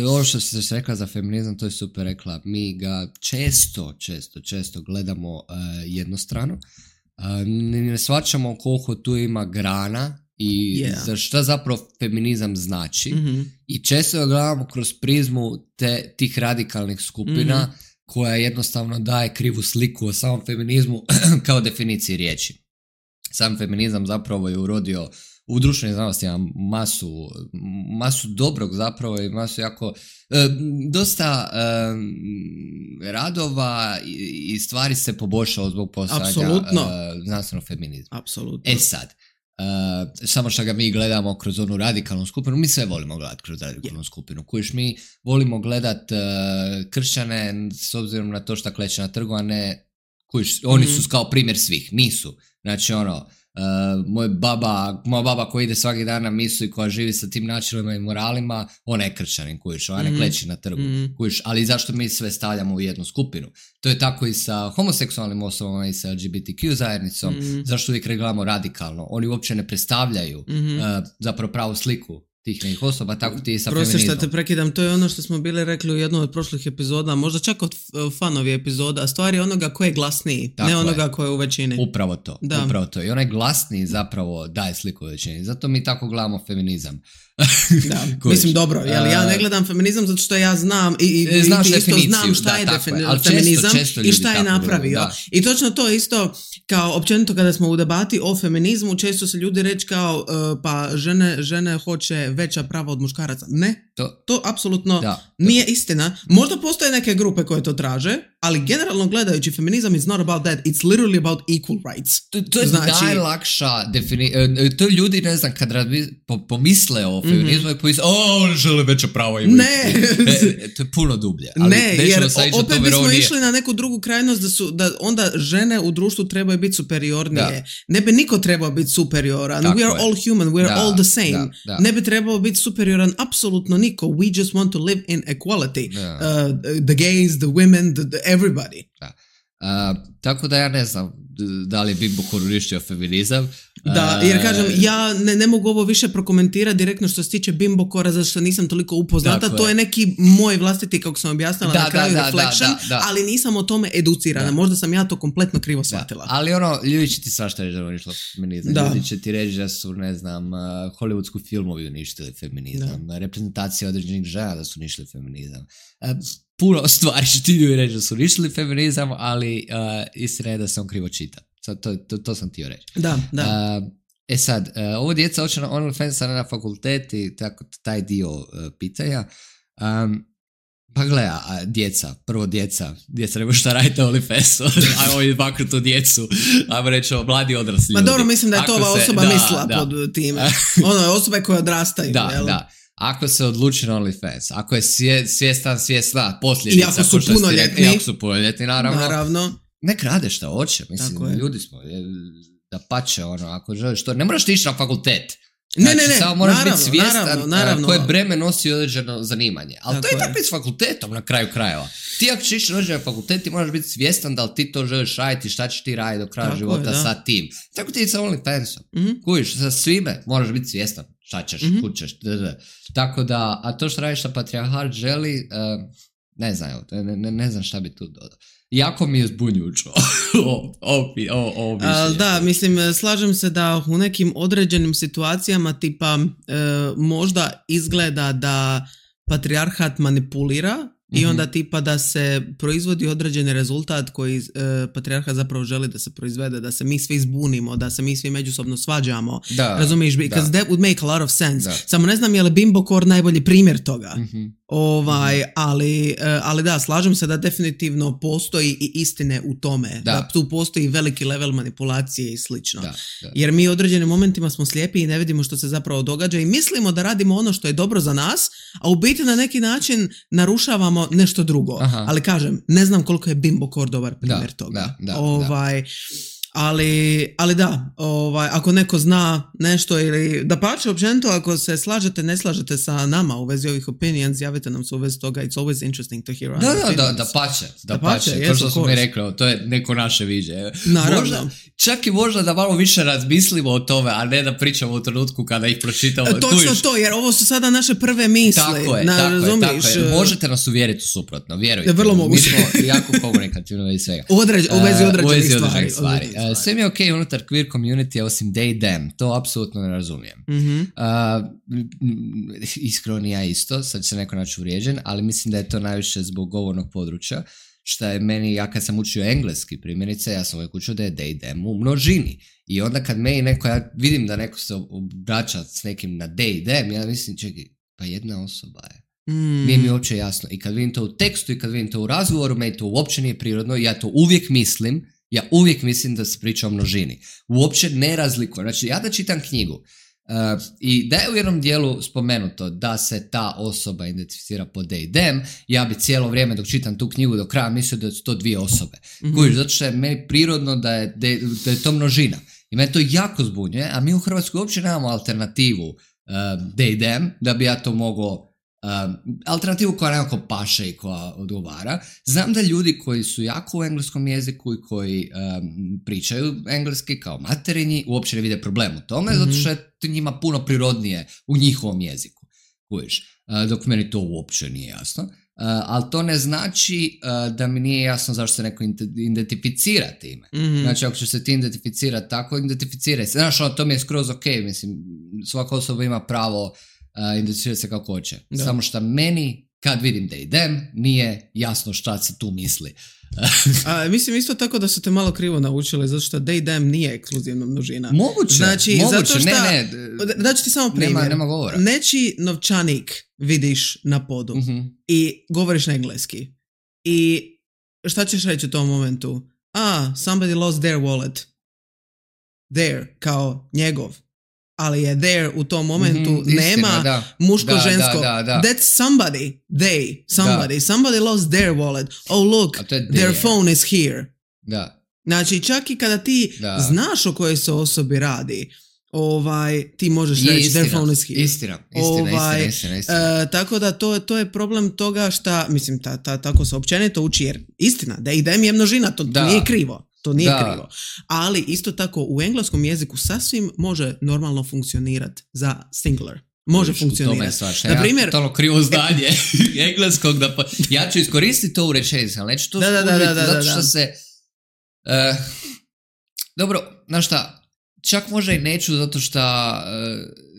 Ovo što se rekla za feminizam, to je super rekla. Mi ga često, često, često gledamo uh, jednostrano. Uh, ne, ne shvaćamo koliko tu ima grana i yeah. za šta zapravo feminizam znači. Mm-hmm. I često ga gledamo kroz prizmu te, tih radikalnih skupina mm-hmm. koja jednostavno daje krivu sliku o samom feminizmu kao definiciji riječi. sam feminizam zapravo je urodio u društvenim znanostima masu, masu dobrog zapravo i masu jako, e, dosta e, radova i, i stvari se poboljšalo zbog postojanja e, znanstvenog feminizma. Apsolutno. E sad, Uh, samo što ga mi gledamo kroz onu radikalnu skupinu, mi sve volimo gledati kroz radikalnu yeah. skupinu. Kojiš mi volimo gledati uh, kršćane s obzirom na to što kleče na trgu, a ne kojiš, oni mm. su kao primjer svih, nisu. Znači ono, uh, moj baba, moja baba koja ide svaki dan na misu i koja živi sa tim načinima i moralima, ona je kršćanin, kojiš, ona ne mm. kleči na trgu, mm. kojiš, ali zašto mi sve stavljamo u jednu skupinu? To je tako i sa homoseksualnim osobama i sa L G B T Q zajednicom, mm. zašto uvijek gledamo radikalno. Oni uopće ne predstavljaju mm-hmm. uh, zapravo pravu sliku tih nekih osoba, tako ti i sa feminizmom. Prosti što te prekidam, to je ono što smo bili rekli u jednoj od prošlih epizoda, možda čak od fanovi epizoda, stvar je onoga ko je glasniji, tako ne onoga je. Ko je u većini. Upravo to, da. upravo to. I onaj glasniji zapravo daje sliku u većini. Zato mi tako gledamo feminizam. Da, mislim dobro, jel, ja ne gledam feminizam zato što ja znam i, i, i isto znam šta da, je defini- feminizam često, često i šta je napravio. Da. I točno to isto kao općenito kada smo u debati o feminizmu, često se ljudi reći kao uh, pa žene, žene hoće veća prava od muškaraca. Ne, to, to apsolutno da, nije to. Istina. Možda postoje neke grupe koje to traže, ali generalno gledajući feminizam is not about that, it's literally about equal rights. To, to je znači, najlakša definicija. To ljudi, ne znam, kad razbi, po, pomisle o feminizmu, mm-hmm. i pomisle, o, oni žele veća prava i ne. e, to je puno dublje. Ali ne, jer opet bismo veronije. Išli na neku drugu krajnost da su, da onda žene u društvu trebaju biti superiornije. Da. Ne bi niko trebao biti superioran. Tako we are je. all human, we are da, all the same. Da, da. Ne bi trebao biti superioran apsolutno niko. We just want to live in equality. Uh, the gays, the women, the, the everybody. Da. Uh, tako da ja ne znam da li je Bimbo koristio feminizam. Da, jer kažem, ja ne, ne mogu ovo više prokomentirati direktno što se tiče Bimbo Kora, zato što nisam toliko upoznata. To je. je neki moj vlastiti, kako sam objasnila da, na kraju, da, reflection, da, da, da. ali nisam o tome educirana. Da. Možda sam ja to kompletno krivo shvatila. Da. Ali ono, ljudi će ti svašta reći da uništilo feminizam. Da. Ljudi će ti reći da su, ne znam, uh, hollywoodsku filmovi uništili feminizam, da. reprezentacija određenih žena da su uništili feminizam. Uh, puno stvari će ti ljudi reći da su uništili feminizam, ali uh, istina je da se on krivo čita. Sad, to, to, to sam htio reći. Da, da. Uh, e sad, uh, ovo djeca hoće na OnlyFans na fakultet i tako, taj dio uh, pitanja. Um, pa gleda, a djeca, prvo djeca, djeca nema šta raditi na OnlyFansu, ajmo izbaknuti tu djecu, ajmo reći o mladi odrasli ljudi. Ma dobro, mislim da je to ova osoba se, mislila da, pod da. time. Ono je osobe koje odrastaju. Da, jel? da. Ako se odluči na OnlyFans, ako je svje, svjestan, svjesna posljedica, i ako su punoljetni, ako su punoljetni, naravno, naravno. nek rade šta hoće, mislim, ljudi smo, da pače, ono, ako želiš to, ne moraš ti ići na fakultet. Ne, znači, ne, ne, samo moraš naravno, biti svjestan naravno, naravno. koje breme nosi određeno zanimanje. Ali tako to je tako i s fakultetom na kraju krajeva. Ti ako ćeš ići na određen fakultet, ti moraš biti svjestan da li ti to želiš raditi, šta ćeš ti raditi do kraja tako života je, sa tim. Tako ti je sa OnlyFansom. Mm-hmm. Kujiš, sa svime moraš biti svjestan šta ćeš, mm-hmm. kud ćeš. Tako da, a to što radiš sa Patriarhat želi, uh, ne znam, ne, ne, ne znam šta bi tu dodao. Jako mi je zbunjujuće o, o, o, o A, da, mislim, slažem se da u nekim određenim situacijama tipa e, možda izgleda da patrijarhat manipulira mm-hmm. i onda tipa da se proizvodi određeni rezultat koji e, patrijarhat zapravo želi da se proizvede, da se mi svi zbunimo, da se mi svi međusobno svađamo. Da, razumiješ? Because da. that would make a lot of sense. Da. Samo ne znam je li Bimbo Kor najbolji primjer toga. Mm-hmm. Ovaj, mm-hmm. ali, ali da, slažem se da definitivno postoji i istine u tome. Da, da tu postoji veliki level manipulacije i slično. Da, da. Jer mi u određenim momentima smo slijepi i ne vidimo što se zapravo događa i mislimo da radimo ono što je dobro za nas, a u biti na neki način narušavamo nešto drugo. Aha. Ali kažem, ne znam koliko je Bimbo Kor dobar primjer da, toga. Da, da, ovaj, da. Ali, ali da, ovaj, ako neko zna nešto ili da pače općenito, ako se slažete, ne slažete sa nama u vezi ovih opinions, javite nam se u vezi toga, it's always interesting to hear our da, opinions. Da, da, da pače, da, da pače, pače. Kao što smo mi rekli, to je neko naše viđe. Naravno. Možda, čak i možda da malo više razmislimo o tome, a ne da pričamo u trenutku kada ih pročitamo. Točno tujiš. To, jer ovo su sada naše prve misli. Tako je, na, tako, je tako je. Možete nas uvjeriti suprotno, vjerujte. Vrlo moguće. Mi smo jako komunikativni i svega. Određ, u vezi određenih uh, stvari. stvari. Uh, sve mi je okej okay unutar queer community, osim they, them. To apsolutno ne razumijem. Mm-hmm. Uh, iskreno ja isto, sad će se neko naći uvrijeđen, ali mislim da je to najviše zbog govornog područja. šta je meni, ja kad sam učio engleski primjerice, ja sam uvijek učio da je they, them u množini. I onda kad meni neko, ja vidim da neko se obraća s nekim na they, them, ja mislim, čekaj, pa jedna osoba je. Mm. Nije mi uopće jasno. I kad vidim to u tekstu i kad vidim to u razgovoru, meni to uopće nije prirodno. Ja to uvijek mislim, ja uvijek mislim da se priča o množini. Uopće ne razlikujem. Znači, ja da čitam knjigu uh, i da je u jednom dijelu spomenuto da se ta osoba identificira po they, them, ja bi cijelo vrijeme dok čitam tu knjigu do kraja mislio da su to dvije osobe. Mm-hmm. Kužiš, zato što je meni prirodno da je, da je to množina. I mene to jako zbunjuje, a mi u Hrvatskoj uopće nemamo alternativu uh, they, them, da bi ja to mogao Um, alternativu koja nekako paše i koja odgovara. Znam da ljudi koji su jako u engleskom jeziku i koji um, pričaju engleski kao materinji uopće ne vide problem u tome, mm-hmm. zato što je to njima puno prirodnije u njihovom jeziku. Kužiš, uh, dok meni to uopće nije jasno. Uh, ali to ne znači uh, da mi nije jasno zašto se neko identificira time. Mm-hmm. Znači, ako ćeš se ti identificirati tako, identificiraj se. Znaš, ono, to mi je skroz ok, mislim, svaka osoba ima pravo Uh, identificirati se kako hoće. Da. Samo što meni, kad vidim they, them, nije jasno šta se tu misli. A, mislim isto tako da su te malo krivo naučili, zato što they, them nije ekskluzivna množina. Moguće, znači, moguće, zato šta, ne, ne. Daću ti samo primjer. Nema, nema govora. Nečiji novčanik vidiš na podu uh-huh. i govoriš na engleski. I šta ćeš reći u tom momentu? Ah, somebody lost their wallet. Their, kao njegov. Ali je there u tom momentu, mm-hmm, istina, nema da. muško-žensko. Da, da, da, da. That's somebody, they, somebody. Da. Somebody lost their wallet. Oh look, their phone is here. Da. Znači, čak i kada ti da. znaš o kojoj se osobi radi, ovaj, ti možeš reći istina, their phone is here. Istina, istina, ovaj, istina, istina, istina. Uh, tako da to, to je problem toga šta, mislim, ta, ta, tako se općenito uči, jer istina, da i dem je množina, to, to nije krivo. To nije da. krivo. Ali isto tako u engleskom jeziku sasvim može normalno funkcionirati za singular. Može Uš, funkcionirati. Na primjer, ja totalno krivo zdanje engleskog da pa... Ja ću iskoristiti to u rečenici, ali neću to da, da, da, da, da, zato što da. se... Uh, dobro, znaš šta, čak možda i neću zato što... Uh,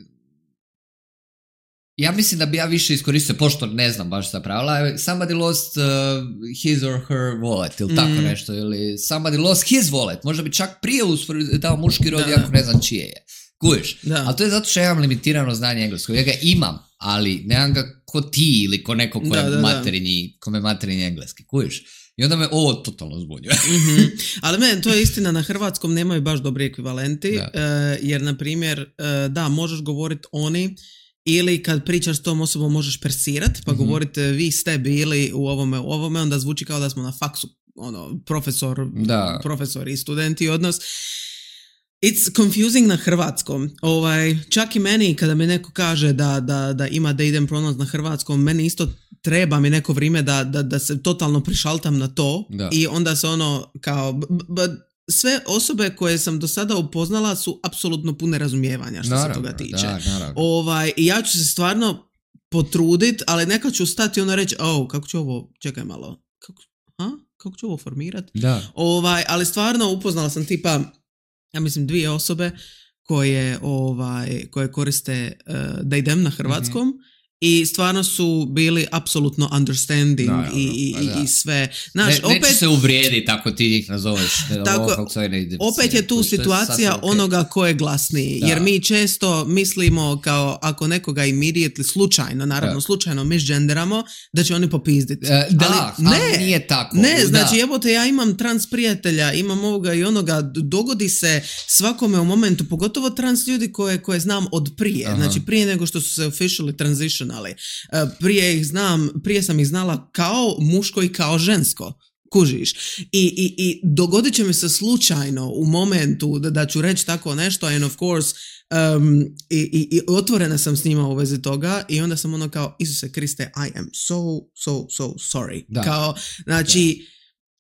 ja mislim da bi ja više iskoristio, pošto ne znam baš ta pravila, somebody lost uh, his or her wallet, ili mm. tako nešto, ili somebody lost his wallet, možda bi čak prije dao muški rod, ako ne znam čije je. Kužiš? Ali to je zato što ja imam limitirano znanje engleskog. Ja ga imam, ali nemam ga ko ti ili ko neko ko je materinji, kome materinji engleski. Kužiš? I onda me ovo totalno zbunjuje. mm-hmm. Ali meni, to je istina, na hrvatskom nemaju baš dobri ekvivalenti, uh, jer, na primjer, uh, da, možeš govoriti oni, ili kad pričaš s tom osobom možeš persirati, pa mm-hmm. govorite vi ste bili u ovome, u ovome, onda zvuči kao da smo na faksu, ono, profesor, da. profesor i studenti odnos. It's confusing na hrvatskom. Ovaj, čak i meni, kada mi neko kaže da, da, da ima da idem pronaći na hrvatskom, meni isto treba mi neko vrijeme da, da, da se totalno prišaltam na to da. I onda se ono kao... B, b, sve osobe koje sam do sada upoznala su apsolutno pune razumijevanja što naravno, se toga tiče. Da, ovaj, I ja ću se stvarno potruditi, ali neka ću stati i ono reći, oh, kako ću ovo, čekaj malo, kako, ha? kako ću ovo formirati? Ovaj, ali stvarno upoznala sam tipa, ja mislim dvije osobe koje, ovaj, koje koriste uh, da idem na hrvatskom, mm-hmm. I stvarno su bili apsolutno understanding no, i, i, i sve. Znaš, ne, opet, neće se uvrijedi tako ti ih nazoveš. Tako, opet je tu situacija okay. onoga ko je glasniji. Da. Jer mi često mislimo kao ako nekoga immediately slučajno, naravno da. slučajno misgenderamo, da će oni popizditi. E, da, ali, ne, ali nije tako. Ne, znači evo te ja imam trans prijatelja, imam ovoga i onoga, dogodi se svakome u momentu, pogotovo trans ljudi koje, koje znam od prije. Aha. Znači prije nego što su se officially transition ali prije ih znam, prije sam ih znala kao muško i kao žensko. Kužiš. I, i, i dogodit će mi se slučajno u momentu da, da ću reći tako nešto and of course um, i, i, i otvorena sam s njima u vezi toga i onda sam ono kao Isuse Kriste, I am so, so, so sorry. Da. Kao, znači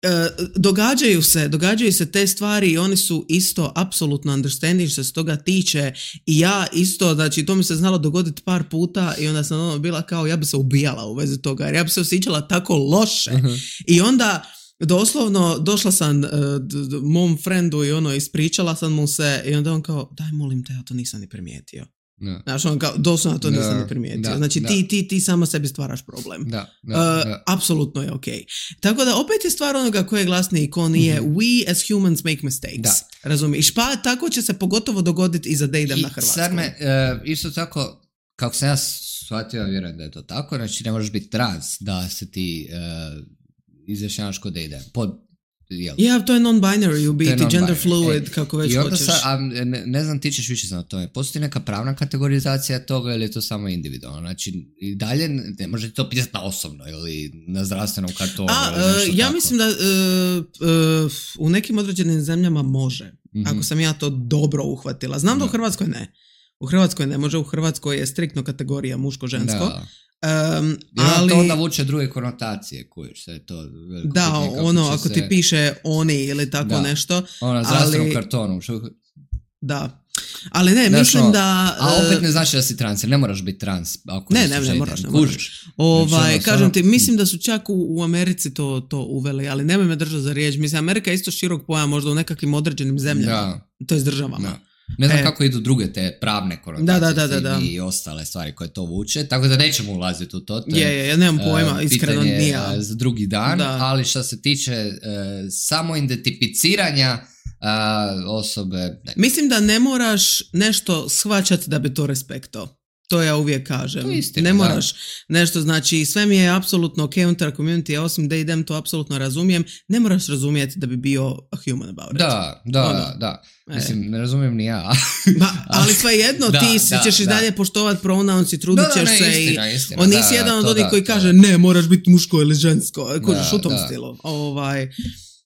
Uh, događaju se, događaju se te stvari i oni su isto apsolutno understanding što se toga tiče i ja isto, znači to mi se znalo dogoditi par puta i onda sam ono bila kao ja bi se ubijala u vezi toga jer ja bi se osjećala tako loše uh-huh. I onda doslovno došla sam uh, d- d- mom friendu i ono ispričala sam mu se i onda on kao daj molim te ja to nisam ni primijetio. Da. Znaš, on kao, doslovno to nisam Da, ni primijetio. da, znači, da. ti, ti, ti sama sebi stvaraš problem. Da, da, uh, da. Apsolutno je okej. Okay. Tako da, opet je stvar onoga ko je glasniji i ko nije. Mm-hmm. We as humans make mistakes. Da. Razumiješ? Pa tako će se pogotovo dogoditi i za da idem I na Hrvatsku. Sad me, uh, isto tako, kako sam ja shvatio, vjerujem da je to tako, znači ne možeš biti trans da se ti uh, izjašnjavaš kod da ide. Pod Ja, yeah, to je non-binary u biti, non-binary. gender fluid, e, kako već i onda hoćeš. Sa, a ne, ne znam, ti ćeš više znati o tome. Postoji neka pravna kategorizacija toga ili je to samo individualno? Znači, i dalje ne možete to pisati na osobno ili na zdravstvenom kartonu. A, uh, ja tako. mislim da uh, uh, u nekim određenim zemljama može, mm-hmm. ako sam ja to dobro uhvatila. Znam da, da u Hrvatskoj ne. U Hrvatskoj ne može, u Hrvatskoj je striktno kategorija muško-žensko. Da. Um, ali to onda vuče druge konotacije kojiš se to da ono ako se... ti piše oni ili tako da. nešto ona zdravstvenom ali... kartonu da ali ne Znaš, mislim no, da a opet ne znači da si trans ne moraš biti trans ako ne ne, ne moraš, ne moraš. Ovaj, znači, kažem ti mislim da su čak u, u Americi to, to uveli ali nemoj me držati za riječ mislim Amerika je isto širok pojam možda u nekakvim određenim zemljama da. to je s državama da. Ne znam e. kako idu druge te pravne konotacije da, da, da, da. i ostale stvari koje to vuče, tako da nećemo ulaziti u to. to je, je, ja nemam pojma, uh, iskreno nije. Uh, za drugi dan, da. Ali što se tiče uh, samo identificiranja uh, osobe... Ne. Mislim da ne moraš nešto shvaćati da bi to respektao. To ja uvijek kažem. Istina, ne moraš da. nešto, znači sve mi je apsolutno ok unutar community, osim da idem to apsolutno razumijem, ne moraš razumijeti da bi bio a human about it. Da, da, ono. da. Mislim, e. ne razumijem ni ja. ba, ali svejedno, da, ti da, ćeš da. i dalje poštovat pronouns i trudit ćeš da, da, se istina, i istina, on nisi da, jedan da, od onih koji da, kaže da. ne, moraš biti muško ili žensko, kožiš da, u tom da. stilu. Ovaj,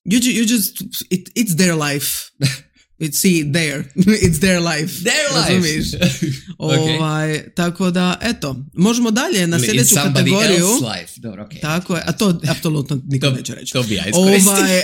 you, you just, it, it's their life. It's see there, it's their life. Their life. okay. Ovaj, tako da, eto, možemo dalje na sljedeću kategoriju. Life. Dobro, okay. Tako je, a to apsolutno niko to, neće reći. To bi ja iskoristio. Ovaj,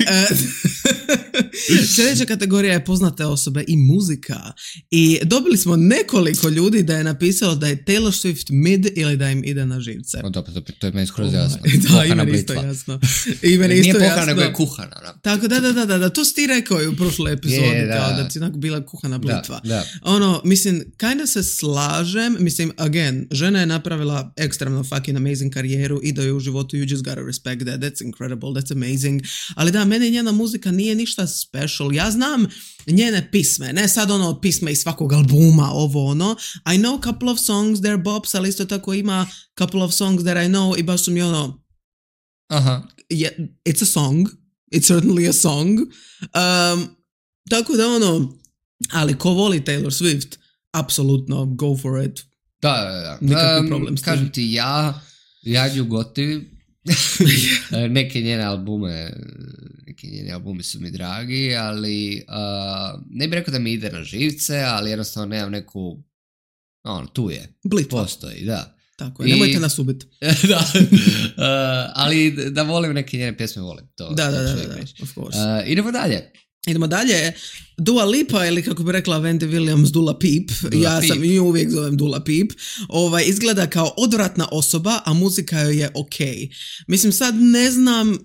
sljedeća kategorija je poznate osobe i muzika. I dobili smo nekoliko ljudi da je napisalo da je Taylor Swift mid ili da im ide na živce. O, to, to, to je meni skroz jasno. Da, i meni isto jasno. I meni isto Nije jasno. pohana, nego je kuhana. Da. Tako, da, da, da, da, da, to si ti rekao i u prošloj epizodi, yeah, da. kao da ti onako bila kuhana blitva. Da, da. Ono, mislim, kinda se slažem, mislim, again, žena je napravila ekstremno fucking amazing karijeru i da je u životu, you just gotta respect that, that's incredible, that's amazing, ali da, meni njena muzika nije ništa special, ja znam njene pisme, ne sad ono pisme iz svakog albuma, ovo ono, I know a couple of songs, they're bops, ali isto tako ima couple of songs that I know i baš su mi ono, aha, yeah, it's a song, it's certainly a song, um, tako da ono, ali ko voli Taylor Swift, apsolutno go for it. Da, da, da. Nikakvi um, problem s tim. Kažem ti, ja, ja nju gotivim. neke njene albume, neki njeni albumi su mi dragi, ali uh, ne bih rekao da mi ide na živce, ali jednostavno nemam neku, ono, tu je. Blitva. Postoji, da. Tako je, I, nemojte nas ubiti. da, uh, ali da volim neke njene pjesme, volim to. Da, da, da, da, da, of course. Uh, idemo dalje. Idemo dalje, Dua Lipa ili kako bi rekla Wendy Williams, Dula Peep, Dula ja Peep. sam ju uvijek zovem Dula Peep, ovaj, izgleda kao odvratna osoba, a muzika joj je ok. Mislim sad ne znam,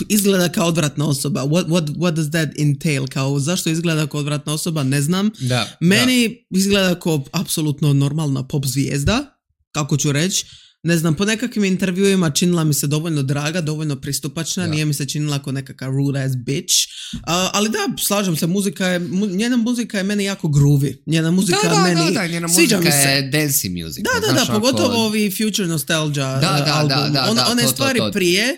izgleda kao odvratna osoba, what, what, what does that entail, kao zašto izgleda kao odvratna osoba, ne znam. Da, Meni da. izgleda kao apsolutno normalna pop zvijezda, kako ću reći. Ne znam, po nekakvim intervjuima činila mi se dovoljno draga, dovoljno pristupačna, da. Nije mi se činila kao nekakav rude ass bitch. Uh, ali da, slažem se, muzika je, mu, njena muzika je meni jako groovy. Njena muzika da, da, meni, da, da, njena muzika je dancey music. Da, da, da, da pogotovo ako... ovi Future Nostalgia da, da, album. Da, da, On, da, one to, stvari to, to. prije,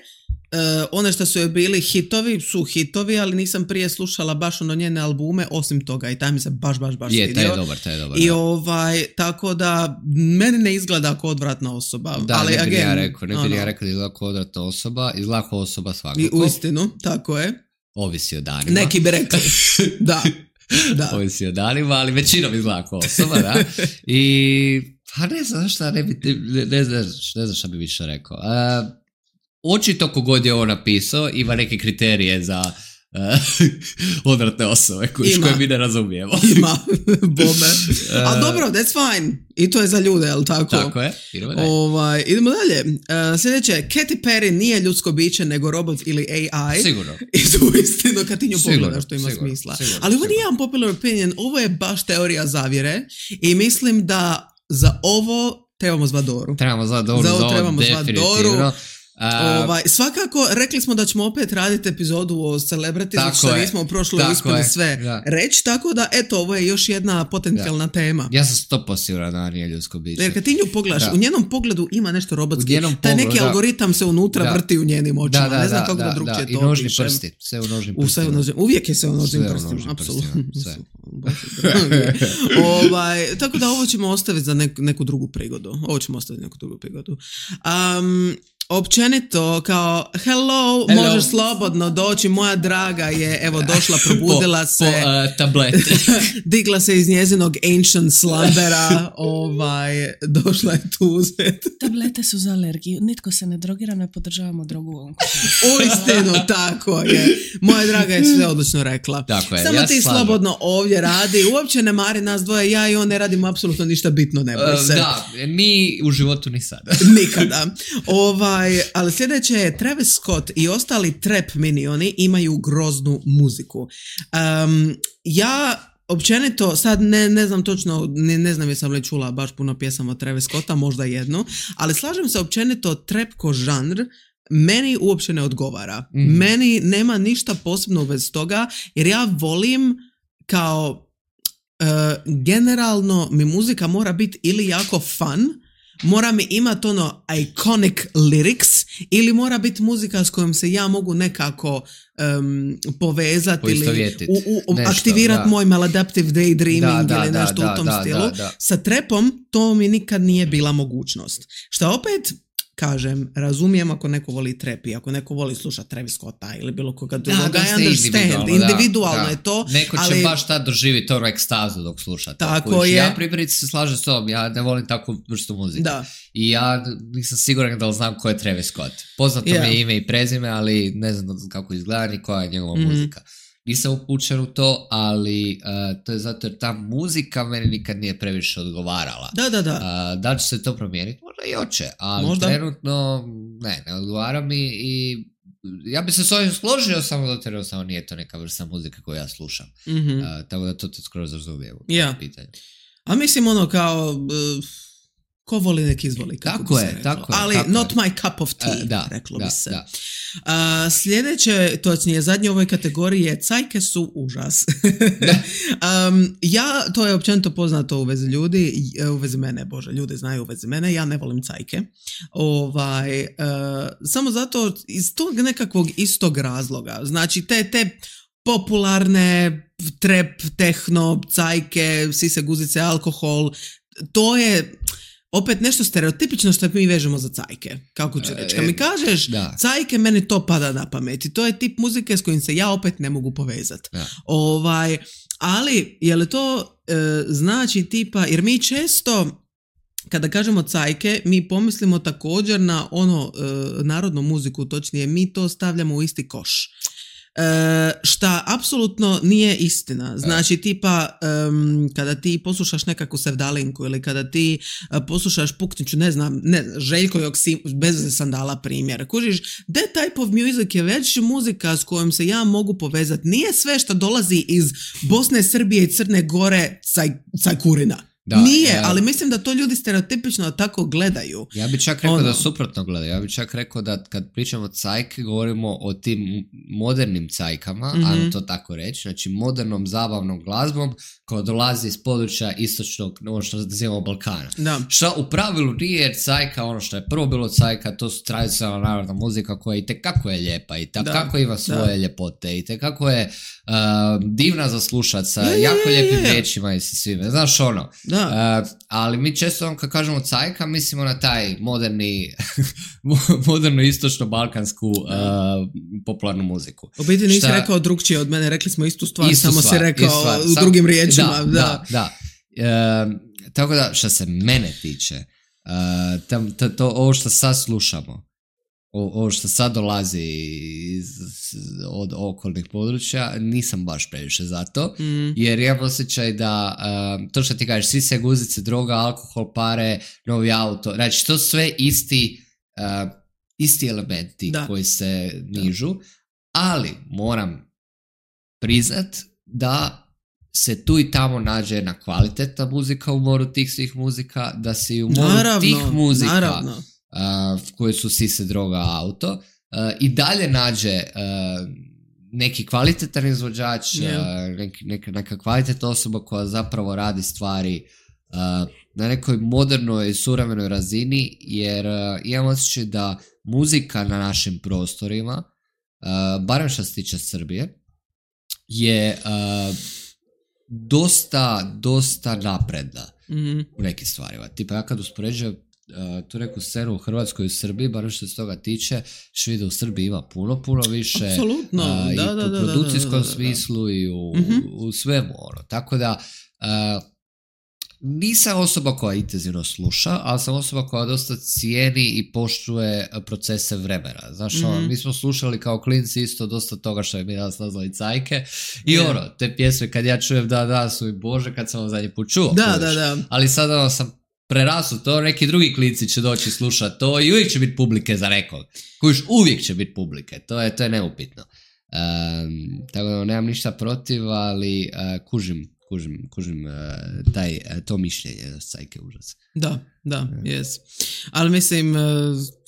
Uh, one što su joj bili hitovi su hitovi, ali nisam prije slušala baš ono njene albume osim toga i taj mi se baš, baš, baš je, svidio. Je, taj je dobar, taj je dobar. I da. ovaj, tako da meni ne izgleda kao odvratna osoba. Da, ali, ne bi again, ja rekao, ne bi ono, ja rekao da izgleda kao odvratna osoba, izgleda kao osoba svakako. I u istinu, tako je. Ovisi o danima. Neki bi rekli, da. Da. Ovisi o danima, ali većinom izgleda kao osoba, da. I, pa ne znam šta, ne bi, ne, ne znam, ne znam šta bi više rekao. Uh, Očito kogod je ovo napisao ima neke kriterije za uh, odvratne osobe koje, koje mi ne razumijemo. Ima, bome. Ali dobro, that's fine. I to je za ljude, jel tako? Tako je, idemo dalje. Ovaj, idemo dalje. Uh, sljedeće, Katy Perry nije ljudsko biće, nego robot ili A I. Sigurno. I to uistinu kad ti nju pogledaš, što ima sigurno, smisla. Sigurno, Ali ovo sigurno. nije unpopular opinion, ovo je baš teorija zavjere i mislim da za ovo trebamo zvat Doru. Trebamo zvat Doru, za ovo za ovo trebamo zvat Doru. Uh, ovaj, svakako, rekli smo da ćemo opet raditi epizodu o celebrities, što nismo u prošloj uspjeli sve da. reći, tako da eto, ovo je još jedna potencijalna da. tema. Ja sam sto posto siguran da nije ljudsko biće. Jer kad ti nju pogledaš, da. u njenom pogledu ima nešto robotski, taj pogledu, neki da. algoritam se unutra da. vrti u njenim očima, da, da, ne znam da, kako da, da drugčije da. to I nožni opišem. prsti, sve u nožnim u prstima. Nožnim, uvijek je sve u nožnim sve prstima, u apsolutno. Sve. ovaj, tako da ovo ćemo ostaviti za neku, neku drugu prigodu. Ovo ćemo ostaviti za neku drugu prigodu. Um, Općenito, kao hello, hello, možeš slobodno doći, moja draga je, evo, došla, probudila po, se. Po uh, tablete. Digla se iz njezinog ancient slumbera, ovaj, došla je tu uzeti. Tablete su za alergiju, nitko se ne drogira, ne podržavamo drogu u ovom kućanstvu. Uistinu, tako je. Moja draga je sve odlično rekla. Tako je, samo ja ti slažem. Slobodno ovdje radi, uopće ne mari nas dvoje, ja i on ne radimo apsolutno ništa bitno, ne boj se. Uh, da, mi u životu ni sada. Nikada. Ovaj, ali sljedeće je Travis Scott i ostali trap minioni imaju groznu muziku. Um, ja općenito, sad ne, ne znam točno, ne, ne znam jesam li čula baš puno pjesama od Travis Scotta, možda jednu, ali slažem se općenito trap ko žanr meni uopće ne odgovara. Mm. Meni nema ništa posebno u vezi toga, jer ja volim kao uh, generalno mi muzika mora biti ili jako fun, mora mi imati ono iconic lyrics ili mora biti muzika s kojom se ja mogu nekako um, povezati ili u, u, aktivirati moj maladaptive daydreaming da, da, ili nešto da, u tom da, stilu. Da, da. Sa trapom to mi nikad nije bila mogućnost. Što opet, kažem, razumijem ako neko voli trap i ako neko voli slušati Travis Scotta ili bilo koga drugog, da, I understand, individualno, individualno da, je to. Neko ali... će baš tad doživjeti to ekstazu dok sluša. Tako Kojiš. je. Ja primjerice se slažem s tom, ja ne volim takvu vrstu muzike. Da. I ja nisam siguran da li znam ko je Travis Scott. Poznato yeah. mi je ime i prezime, ali ne znam kako izgleda ni koja je njegova mm-hmm. muzika. Nisam upućen u to, ali uh, to je zato jer ta muzika meni nikad nije previše odgovarala. Da, da, da. Uh, da će se to promijeniti? Možda i hoće, ali možda. Trenutno ne, ne odgovara mi i ja bi se s ovim složio, samo da te samo nije to neka vrsta muzike koju ja slušam. Mm-hmm. Uh, tako da to te skoro razumijem. Ja. Pitanje. A mislim ono kao... Uh... Ko voli nek izvoli, kako tako bi se je, reklo. tako je, ali tako not je. my cup of tea, uh, da, reklo da, bi se. Da. Uh, sljedeće, točnije zadnje u ovoj kategoriji je cajke su užas. um, ja, to je općenito poznato u vezi ljudi, u vezi mene, bože, ljudi znaju u vezi mene, ja ne volim cajke. Ovaj, uh, samo zato iz tog nekakvog istog razloga. Znači, te, te popularne trap, tehno, cajke, sise, guzice, alkohol, to je opet nešto stereotipično što mi vežemo za cajke. Kako ću reći? Kad mi kažeš da. Cajke, meni to pada na pamet. I to je tip muzike s kojim se ja opet ne mogu povezati. Ovaj, ali, je li to e, znači tipa, jer mi često kada kažemo cajke, mi pomislimo također na ono e, narodnu muziku, točnije mi to stavljamo u isti koš. E, šta apsolutno nije istina. Znači tipa um, kada ti poslušaš nekakvu sevdalinku ili kada ti uh, poslušaš Pukniću, ne znam, ne, Željko Joksim, bez sandala primjer, kužiš, that type of music je već muzika s kojom se ja mogu povezati. Nije sve što dolazi iz Bosne, Srbije i Crne Gore caj, cajkurina. Da, nije, ja, ali mislim da to ljudi stereotipično tako gledaju. Ja bih čak rekao ono. da suprotno gledaju. Ja bih čak rekao da kad pričamo o cajke, govorimo o tim modernim cajkama, mm-hmm. ajmo to tako reći, znači modernom zabavnom glazbom koja dolazi iz područja istočnog, ono što nazivamo Balkana. Da. Što u pravilu nije, jer cajka, ono što je prvo bilo cajka, to su tradicionalna narodna muzika koja i tekako je lijepa i tekako ima svoje da. ljepote i tekako je uh, divna za slušat sa je, jako je, lijepim je, je. riječima i sa svime. Znaš ono, Da. Uh, ali mi često kad kažemo cajka mislimo na taj moderni moderno istočno-balkansku uh, popularnu muziku. U biti nisi Šta... rekao drugčije od mene, rekli smo istu stvar, istu samo stvar, si rekao stvar. u drugim riječima. Da, da, da. da. Uh, tako da što se mene tiče, uh, tam, to, to, ovo što sad slušamo, ovo što sad dolazi iz, od okolnih područja, nisam baš previše za to, mm. jer imam osjećaj da uh, to što ti kažeš, svi se guzice, droga, alkohol, pare, novi auto, znači to sve isti uh, isti elementi da. Koji se nižu, ali moram priznat da se tu i tamo nađe jedna kvalitetna muzika u moru tih svih muzika, da se i u moru naravno, tih muzika uh, koje su sise, droga, auto uh, i dalje nađe uh, neki kvalitetan izvođač, yeah. uh, neki, neka, neka kvalitetna osoba koja zapravo radi stvari uh, na nekoj modernoj i suvremenoj razini, jer uh, imam osjećaj da muzika na našim prostorima, uh, barem što se tiče Srbije, je uh, dosta, dosta napredna mm-hmm. u nekim stvarima. Tipa ja kad uspoređujem uh, tu neku scenu u Hrvatskoj i u Srbiji, barem što se toga tiče, što vidi da u Srbiji ima puno, puno više. Apsolutno. Uh, I da, da, u da, produkcijskom da, da, da, da. smislu i u, mm-hmm. u, u svemu. Ono. Tako da uh, nisam osoba koja intenzivno sluša, ali sam osoba koja dosta cijeni i poštuje procese vremena. Znaš, mm-hmm. ono, mi smo slušali kao klinci isto dosta toga što je mi danas nazvali cajke i yeah. ono, te pjesme kad ja čujem da, da, su i Bože, kad sam vam zadnji put čuo. Da, da, da. Ali sada ono, sam prerasu to, neki drugi klinci će doći slušati to i uvijek će biti publike za nekog. Kužiš, uvijek će biti publike, to je, to je neupitno. Um, tako da nemam ništa protiv, ali uh, kužim kužim, kužim uh, taj, uh, to mišljenje da cajke užas. Da, da, jes. Ali mislim, uh,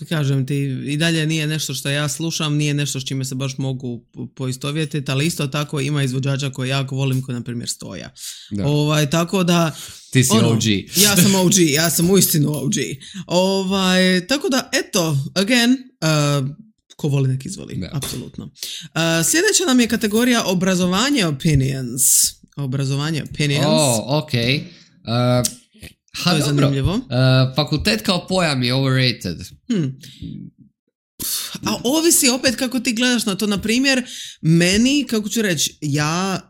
kažem ti, i dalje nije nešto što ja slušam, nije nešto s čime se baš mogu poistovjetiti, ali isto tako ima izvođača koje jako volim, koji na primjer Stoja. Da. Ovaj, tako da... Ti si ono, O G. Ja sam O G, ja sam uistinu O G. Ovaj, tako da, eto, again... Uh, ko voli nek izvoli, da. Apsolutno. Uh, sljedeća nam je kategorija obrazovanje opinions. Obrazovanje opinions. Oh, ok. Uh, ha, to je dobro. zanimljivo. Uh, fakultet kao pojam je overrated. Hmm. A ovisi opet kako ti gledaš na to. Na primjer, meni, kako ću reći, ja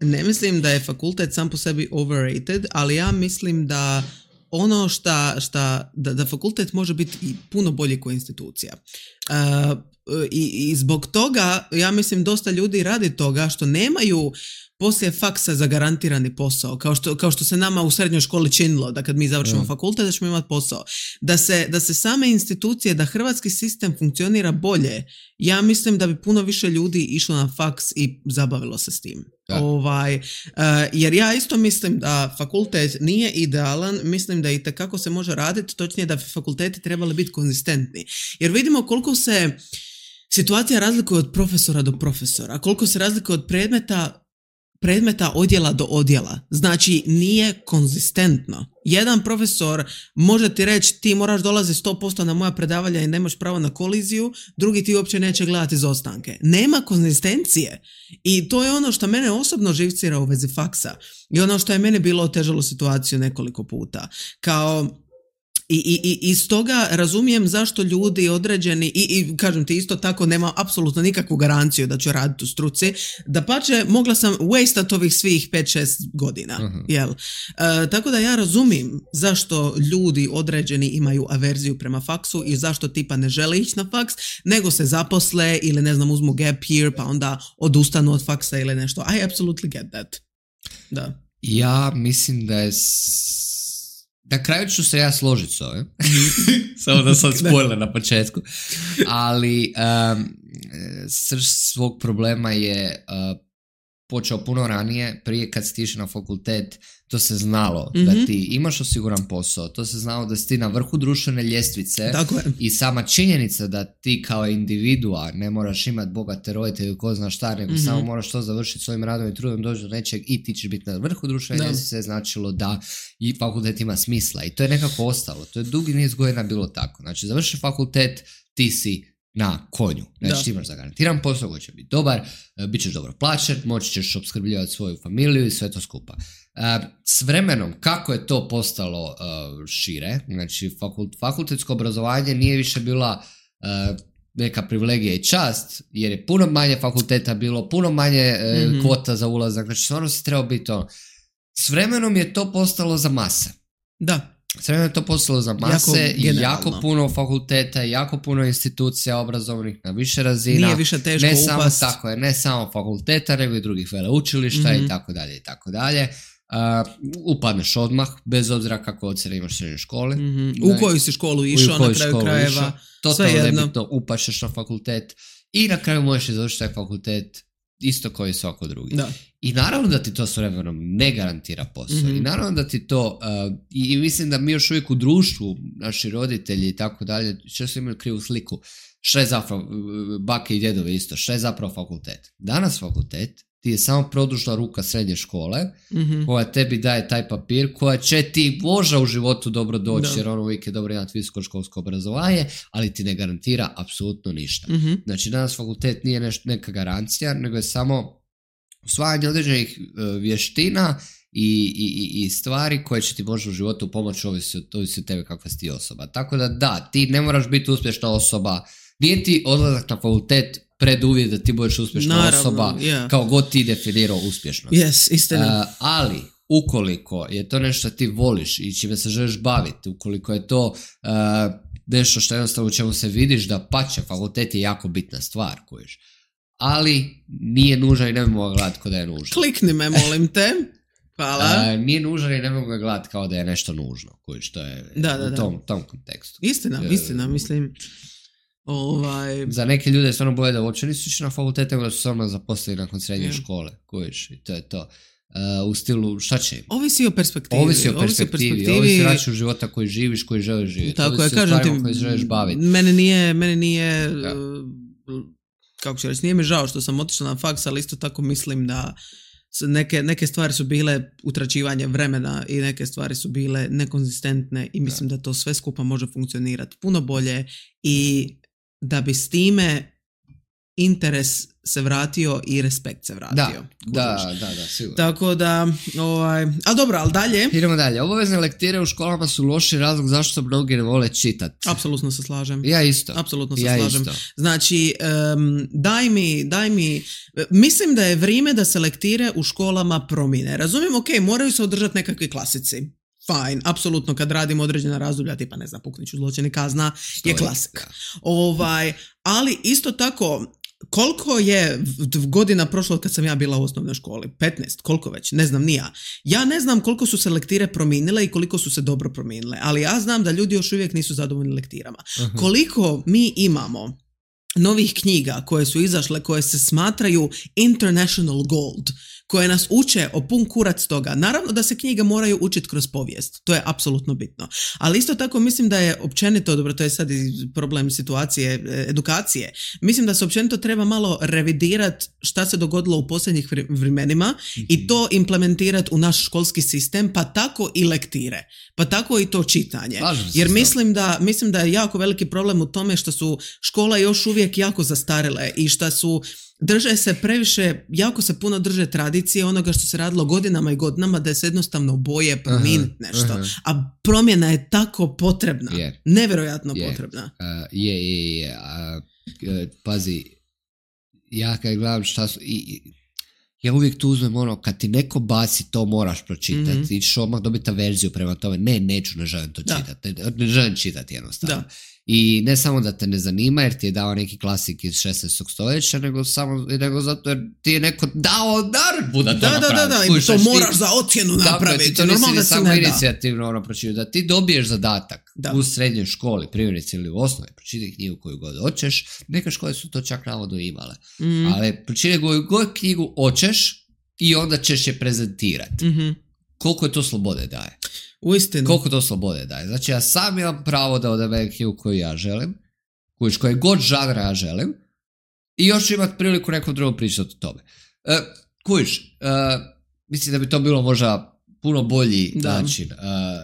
ne mislim da je fakultet sam po sebi overrated, ali ja mislim da ono šta, šta da, da fakultet može biti i puno bolji kao institucija. Uh, i, i zbog toga, ja mislim, dosta ljudi radi toga što nemaju poslije faksa zagarantirani posao, kao što, kao što se nama u srednjoj školi činilo, da kad mi završimo mm. fakultet da ćemo imati posao. Da se, da se same institucije, da hrvatski sistem funkcionira bolje, ja mislim da bi puno više ljudi išlo na faks i zabavilo se s tim. Ovaj, uh, jer ja isto mislim da fakultet nije idealan, mislim da itekako se može raditi, točnije da fakulteti trebali biti konzistentni. Jer vidimo koliko se situacija razlikuje od profesora do profesora, koliko se razlikuje od predmeta predmeta odjela do odjela. Znači, nije konzistentno. Jedan profesor može ti reći ti moraš dolaziti sto posto na moja predavanja i nemaš pravo na koliziju, drugi ti uopće neće gledati izostanke. Nema konzistencije. I to je ono što mene osobno živcira u vezi faksa. I ono što je mene bilo otežalo situaciju nekoliko puta. Kao... I, i, i iz toga razumijem zašto ljudi određeni i, i kažem ti isto tako nema apsolutno nikakvu garanciju da ću raditi u struci, da pače mogla sam wastat ovih svih pet šest godina. Uh-huh. Jel? E, tako da ja razumijem zašto ljudi određeni imaju averziju prema faksu i zašto tipa ne žele ići na faks, nego se zaposle ili ne znam uzmu gap year pa onda odustanu od faksa ili nešto. I absolutely get that. Da. Ja mislim da je na kraju ću se ja složiti s ovim, samo da sam spoiler na početku, ali um, srž svog problema je uh, počeo puno ranije, prije kad si išao na fakultet, to se znalo mm-hmm. da ti imaš osiguran posao, to se znalo da si ti na vrhu društvene ljestvice i sama činjenica da ti kao individua ne moraš imati bogate roditelje ko zna šta, nego mm-hmm. samo moraš to završiti svojim radom i trudom, doći do nečeg i ti ćeš biti na vrhu društvene ljestvice, značilo da i fakultet ima smisla i to je nekako ostalo, to je dugi niz godina bilo tako, znači završi fakultet, ti si na konju. Znači ti imaš zagarantiran posao koji će biti dobar, bit ćeš dobro plaćen, moći ćeš opskrbljivati svoju familiju i sve to skupa. Uh, s vremenom, kako je to postalo uh, šire, znači fakult, fakultetsko obrazovanje nije više bila uh, neka privilegija i čast, jer je puno manje fakulteta bilo, puno manje uh, mm-hmm. kvota za ulazak, znači stvarno si trebao biti ono. S vremenom je to postalo za mase. Da. Srednje je to postalo za mase, jako, jako puno fakulteta, jako puno institucija obrazovnih na više razina. Nije više teško ne upast. Samo, tako je, ne samo fakulteta, nego i drugih veleučilišta mm-hmm. i tako dalje i tako dalje. Uh, upadneš odmah, bez obzira kako ocjene imaš srednje škole. Mm-hmm. U koju si školu išao na kraju krajeva. Totalno nebitno, upašeš na fakultet i na kraju možeš završiti taj fakultet isto koji svako drugi. Da. I naravno da ti to s vremenom ne garantira posao. Mm-hmm. I naravno da ti to, uh, i, i mislim da mi još uvijek u društvu, naši roditelji i tako dalje, često imaju krivu sliku, što je zapravo, bake i djedove isto, što je zapravo fakultet. Danas fakultet ti je samo produžna ruka srednje škole, mm-hmm. koja tebi daje taj papir, koja će ti možda u životu dobro doći, da. Jer ono uvijek je dobro imati visokoškolsko obrazovanje, ali ti ne garantira apsolutno ništa. Mm-hmm. Znači danas fakultet nije neš, neka garancija, nego je samo usvajanje određenih uh, vještina i, i, i stvari koje će ti možda u životu pomoći, ovisi od, ovisi od tebe kakva si ti osoba. Tako da da, ti ne moraš biti uspješna osoba, nije ti odlazak na fakultet preduvjet da ti budeš uspješna Naravno, osoba, yeah. kao god ti definirao uspješnost. Yes, istina. Uh, ali, ukoliko je to nešto ti voliš i čime se želiš baviti, ukoliko je to uh, nešto što jednostavno u čemu se vidiš da pače, fakultet je jako bitna stvar, kojiš. Ali nije nužan i ne mogu gledati kao da je nužan. Klikni me, molim te. Hvala. Uh, nije nužan i ne mogu gledati kao da je nešto nužno, kojiš, to je da, da, u tom, da. tom kontekstu. Istina, uh, istina, mislim... Ovaj... Za neke ljude je stvarno bolje da uopće nisu išli na fakultet, nego da su samo zaposlili nakon srednje yeah. škole, kojiš, i to je to. Uh, u stilu, šta će im? Ovisi o perspektivi. Ovisi o perspektivi, ovisi o, ovisi o načinu života koji živiš, koji želiš živjeti. Tako ovisi je, kažem ti, koji želiš baviti. Mene nije, mene nije, ja. uh, kako ću reći, nije mi žao što sam otišla na faks, ali isto tako mislim da neke, neke stvari su bile utračivanje vremena i neke stvari su bile nekonzistentne i mislim ja. da to sve skupa može funkcionirati puno bolje i da bi s time interes se vratio i respekt se vratio. Da, da, da, da, sigurno. Tako da, ovaj, ali dobro, ali dalje. Idemo dalje. Obavezne lektire u školama su loši razlog zašto mnogi ne vole čitati. Apsolutno se slažem. Ja isto. Apsolutno se ja slažem. Isto. Znači, um, daj mi, daj mi, mislim da je vrijeme da se lektire u školama promijene. Razumijem, ok, moraju se održati nekakvi klasici. Fine, apsolutno kad radimo određena razdoblja, tipa ne znam, Pukniću zločini kazna, je klasik. Ovaj, ali isto tako, koliko je godina prošlo kad sam ja bila u osnovnoj školi? petnaest, koliko već? Ne znam, ni ja. Ja ne znam koliko su se lektire promijenile i koliko su se dobro promijenile, ali ja znam da ljudi još uvijek nisu zadovoljni lektirama. Uh-huh. Koliko mi imamo novih knjiga koje su izašle, koje se smatraju international gold, koje nas uče o pun kurac toga. Naravno da se knjige moraju učiti kroz povijest, to je apsolutno bitno. Ali isto tako mislim da je općenito, dobro, to je sad problem situacije, edukacije, mislim da se općenito treba malo revidirati šta se dogodilo u posljednjih vremenima mm-hmm. i to implementirati u naš školski sistem, pa tako i lektire, pa tako i to čitanje. Jer mislim da, mislim da je jako veliki problem u tome što su škola još uvijek jako zastarele i što su drže se previše, jako se puno drže tradicije onoga što se radilo godinama i godinama, da se jednostavno boje promijeniti nešto. Uh-huh. A promjena je tako potrebna. Yeah. Nevjerojatno yeah. potrebna. Uh, je, je, je. Uh, pazi, ja kad gledam šta su... I, ja uvijek tu uzmem ono, kad ti neko baci, to moraš pročitati. Mm-hmm. I ćeš odmah dobiti verziju prema tome. Ne, neću, ne želim to čitati. Ne, ne želim čitati jednostavno. Da. I ne samo da te ne zanima jer ti je dao neki klasik iz šesnaestog stoljeća, nego samo nego zato jer ti je neko dao naredbu da to da, napraviš. Da, da, da, i to moraš za ocjenu napraviti. Ti to nisi da samo inicijativno ono pročitati. Da ti dobiješ zadatak da. u srednjoj školi, primjerice ili u osnovi, pročitaj knjigu koju god hoćeš. Neke škole su to čak navodno imale. Mm. Ali pročitaj koju god knjigu hoćeš i onda ćeš je prezentirati. Mm-hmm. Koliko je to slobode daje? Uistinu. Koliko to slobode daje. Znači ja sam imam pravo da odaberem knjigu koju ja želim, koju koje god žanra ja želim i još ću imati priliku nekom drugom pričati o tome. Uh, kujiš, uh, mislim da bi to bilo možda puno bolji da. način, uh,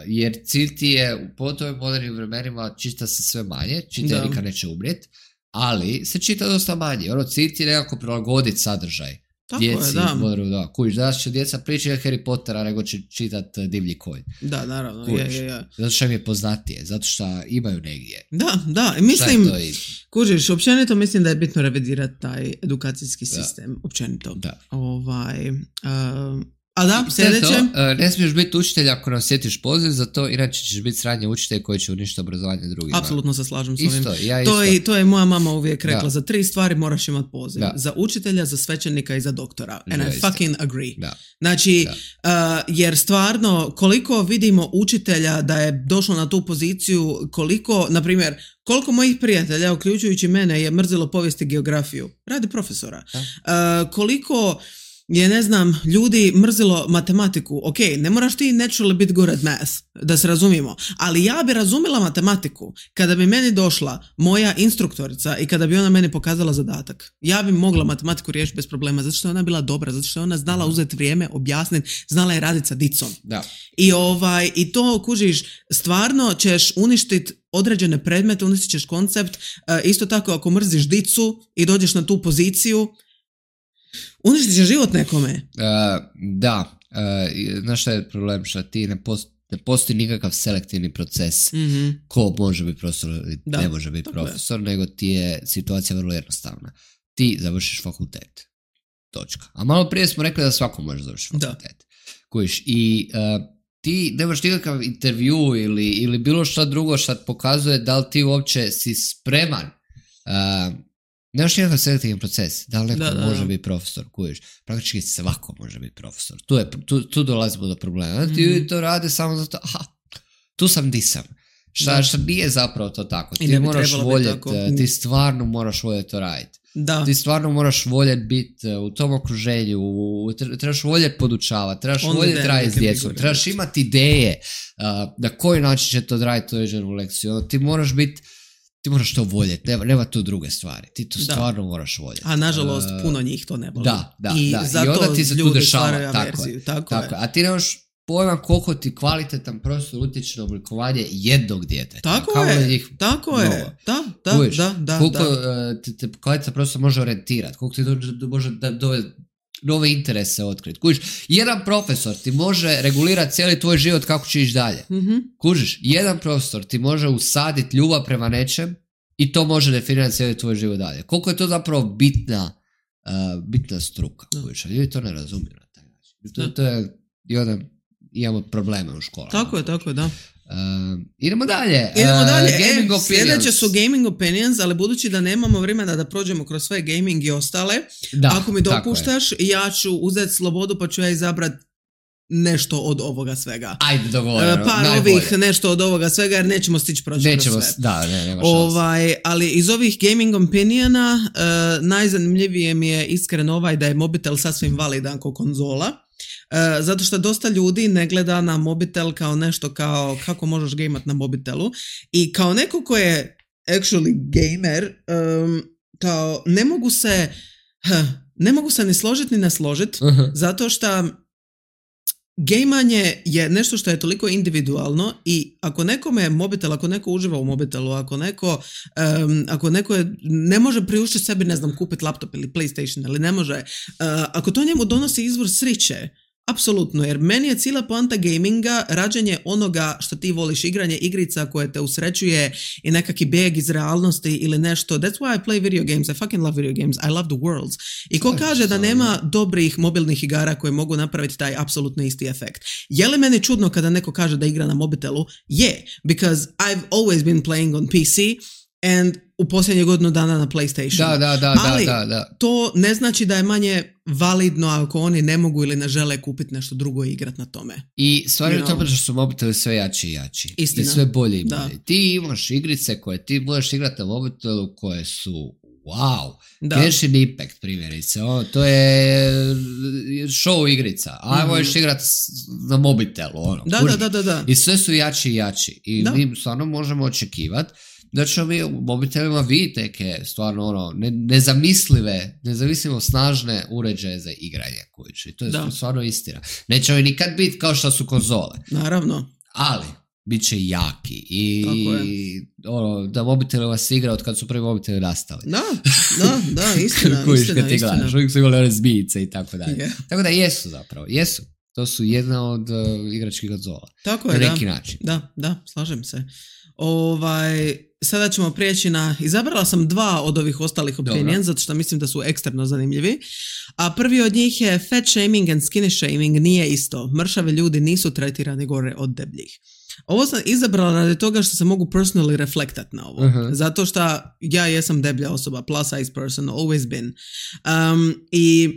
jer cilj ti je u pogotovo modernim vremenima čita se sve manje, čita nikad neće umrijeti, ali se čita dosta manje. Ono, cilj ti je nekako prilagoditi sadržaj. Tako djeci, je, da. Moru, da. Kužiš, danas će djeca pričati Harry Pottera nego će čitati Divlji konj. Da, naravno. Je, je, je. Zato što im je poznatije, zato što imaju negdje. Da, da. Mislim, kužiš, općenito mislim da je bitno revidirati taj edukacijski sistem. Da. Općenito. Da. Ovaj, uh, A da, sljedeće? To, ne smiješ biti učitelj ako ne osjetiš poziv za to, inače ćeš biti sradnji učitelj koji će uništiti obrazovanje drugima. Apsolutno se slažem s ovim. Isto, ja to, isto. je, to je moja mama uvijek rekla, da. za tri stvari moraš imati poziv. Da. Za učitelja, za svećenika i za doktora. And da, I isto. fucking agree. Da. Znači, da. Uh, jer stvarno, koliko vidimo učitelja da je došlo na tu poziciju, koliko, na primjer, koliko mojih prijatelja, uključujući mene, je mrzilo povijest i geografiju. Radi profesora. Uh, koliko je, ne znam, ljudi mrzilo matematiku. Ok, ne moraš ti naturally biti good at math, da se razumijemo. Ali ja bi razumjela matematiku kada bi meni došla moja instruktorica i kada bi ona meni pokazala zadatak. Ja bi mogla matematiku riješiti bez problema, zato što je ona bila dobra, zato što je ona znala uzeti vrijeme, objasniti, znala je raditi sa dicom. Da. I, ovaj, i to, kužiš, stvarno ćeš uništiti određene predmete, uništit ćeš koncept. Uh, isto tako, ako mrziš dicu i dođeš na tu poziciju, uništit će život nekome. Uh, da, uh, znaš šta je problem, što ti ne, post, ne postoji nikakav selektivni proces mm-hmm. ko može biti profesor ili ne može biti profesor, je. Nego ti je situacija vrlo jednostavna. Ti završiš fakultet. Točka. A malo prije smo rekli da svako može završiti fakultet. Kojiš, i uh, ti nemaš nikakav intervju ili, ili bilo šta drugo što pokazuje da li ti uopće si spreman. Uh, Nemaš nikakav selektivni proces, da li neko da, da, može da. biti profesor, kuješ, praktički svako može biti profesor. Tu, je, tu, tu dolazimo do problema. Mm. Ti to rade samo zato, aha, tu sam di sam. Šta, šta nije zapravo to tako. Ti moraš voljeti, ti stvarno moraš voljeti to raditi. Da. Ti stvarno moraš voljeti biti u tom okruženju, u, trebaš voljeti podučavati, trebaš voljeti raditi s djecom, trebaš imati ideje uh, na koji način će to raditi određenu lekciju. Ti moraš biti Ti moraš to voljeti, nema, nema tu druge stvari. Ti to stvarno da. moraš voljeti. A nažalost, uh, puno njih to ne voli. Da, da, I da. zato I onda ti se tu dešava. Tako, je, tako, tako je. A ti nemaš pojma koliko ti kvalitetan profesor utječe na oblikovanje jednog djeteta. Tako Kao je, njih tako je. Mnogo. Da, da, Uviš, da, da. Koliko da. Uh, te, te kvalitetan profesor može orijentirati, koliko ti do, do, može da dove nove interese otkriti. Kužiš, jedan profesor ti može regulirati cijeli tvoj život kako će ići dalje. Mm-hmm. Kužiš, jedan profesor ti može usaditi ljubav prema nečem i to može definirati cijeli tvoj život dalje. Koliko je to zapravo bitna, uh, bitna struka. Kužiš, ljudi to ne razumiju na taj način. To, to je, i onda imamo probleme u školama. Tako je, tako je, da. Uh, idemo dalje. Idemo dalje. Uh, gaming e, opinions. Sljedeće su gaming opinions, ali budući da nemamo vremena da prođemo kroz sve gaming i ostale, da, ako mi dopuštaš, ja ću uzeti slobodu pa ću ja izabrati nešto od ovoga svega. Ajde, dogovoreno. Par najbolje. ovih nešto od ovoga svega, jer nećemo stići proći nećemo, kroz sve. Da, ne, nema ovaj, ali iz ovih gaming opiniona uh, najzanimljivije mi je iskreno ovaj da je mobitel sasvim validan kao konzola. Uh, zato što dosta ljudi ne gleda na mobitel kao nešto kao kako možeš gameat na mobitelu i kao neko ko je actually gamer um, kao ne mogu se huh, ne mogu se ni složiti ni ne složiti uh-huh. zato što gejmanje je nešto što je toliko individualno i ako nekome je mobitel, ako neko uživa u mobitelu, ako neko, um, ako neko je, ne može priuštiti sebi, ne znam, kupiti laptop ili PlayStation, ili ne može, uh, ako to njemu donosi izvor sriće, apsolutno, jer meni je cijela poanta gaminga rađenje onoga što ti voliš, igranje igrica koje te usrećuje i nekaki bijeg iz realnosti ili nešto. That's why I play video games. I fucking love video games. I love the worlds. I ko kaže da nema dobrih mobilnih igara koje mogu napraviti taj apsolutno isti efekt? Je li meni čudno kada neko kaže da igra na mobitelu? Je, yeah, because I've always been playing on P C and u posljednje godinu dana na PlayStation. Da, da, da, ali da, da. to ne znači da je manje validno ako oni ne mogu ili ne žele kupiti nešto drugo i igrati na tome. I stvari u tome što su mobiteli sve jači i jači. Istina. I sve bolje i bolje. Ti imaš igrice koje ti možeš igrati na mobitelu koje su wow. Genshin Impact primjerice. O, to je show igrica. A mm-hmm. možeš igrati na mobitelu. Ono, da, da, da, da, da. I sve su jači i jači. I da. mi stvarno možemo očekivati da ćemo mi u mobitelima vidjeti neke stvarno ono, ne, nezamislive, nezamislivo snažne uređaje za igranje. Kući. I to je da. stvarno istina. Neće mi nikad biti kao što su konzole. Naravno. Ali, bit će jaki. I ono, da mobiteli vas igra od kad su prvi mobiteli nastali. Da, da, da, istina, Kužiš, istina, kad ti istina. gledaš, uvijek su imali one zbijice i tako dalje. Yeah. Tako da jesu zapravo, jesu. To su jedna od uh, igračkih konzola. Tako je, na neki da. način. Da, da, slažem se. Ovaj, sada ćemo prijeći na, izabrala sam dva od ovih ostalih opinion, zato što mislim da su ekstremno zanimljivi. A prvi od njih je fat shaming and skinny shaming nije isto. Mršavi ljudi nisu tretirani gore od debljih. Ovo sam izabrala radi toga što se mogu personally reflektat na ovo. Uh-huh. Zato što ja jesam deblja osoba, plus size person, always been. Um, I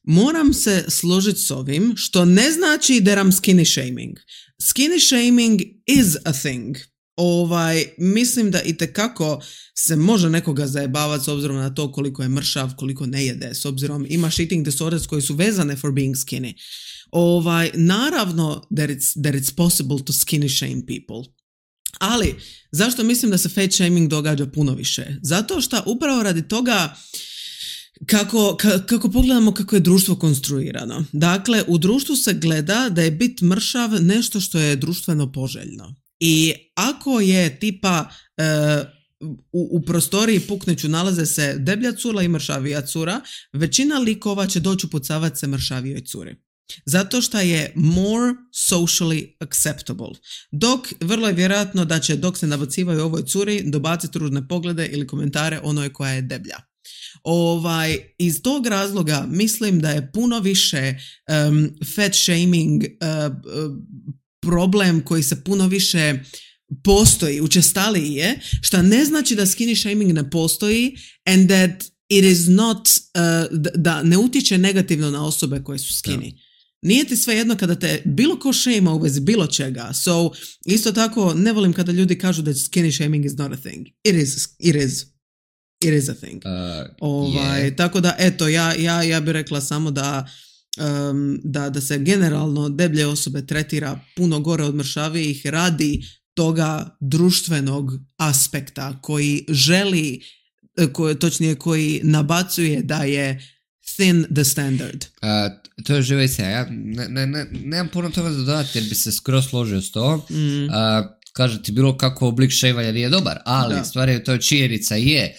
moram se složiti s ovim, što ne znači da I'm skinny shaming. Skinny shaming is a thing. Ovaj, mislim da itekako se može nekoga zajebavati s obzirom na to koliko je mršav, koliko ne jede, s obzirom imaš eating disorders koji su vezane for being skinny. Ovaj, naravno that it's, that it's possible to skinny shame people. Ali, zašto mislim da se fat shaming događa puno više? Zato što upravo radi toga Kako, ka, kako pogledamo kako je društvo konstruirano. Dakle, u društvu se gleda da je bit mršav nešto što je društveno poželjno. I ako je tipa e, u, u prostoriji pukneću nalaze se deblja cura i mršavija cura, većina likova će doći upucavati se mršavijoj curi. Zato što je more socially acceptable. Dok vrlo je vjerojatno da će dok se nabacivaju ovoj curi dobaciti ružne poglede ili komentare onoj koja je deblja. Ovaj, iz tog razloga mislim da je puno više um, fat shaming uh, uh, problem koji se puno više postoji, učestaliji je, što ne znači da skinny shaming ne postoji and that it is not, uh, da ne utječe negativno na osobe koje su skinny. Ja. Nije ti sve jedno kada te bilo ko shame u vezi bilo čega. So, isto tako ne volim kada ljudi kažu da skinny shaming is not a thing. It is, it is. It is a thing. Uh, ovaj, yeah. Tako da, eto, ja, ja, ja bih rekla samo da, um, da, da se generalno deblje osobe tretira puno gore od mršavijih radi toga društvenog aspekta koji želi, koji, točnije koji nabacuje da je thin the standard. Uh, to je živo istina. Ja ne, ne, ne, nemam puno toga da dodati jer bi se skroz složio s to. Mm. Uh, kaže ti bilo kako oblik šejvanja nije dobar, ali da. Stvar je to činjenica je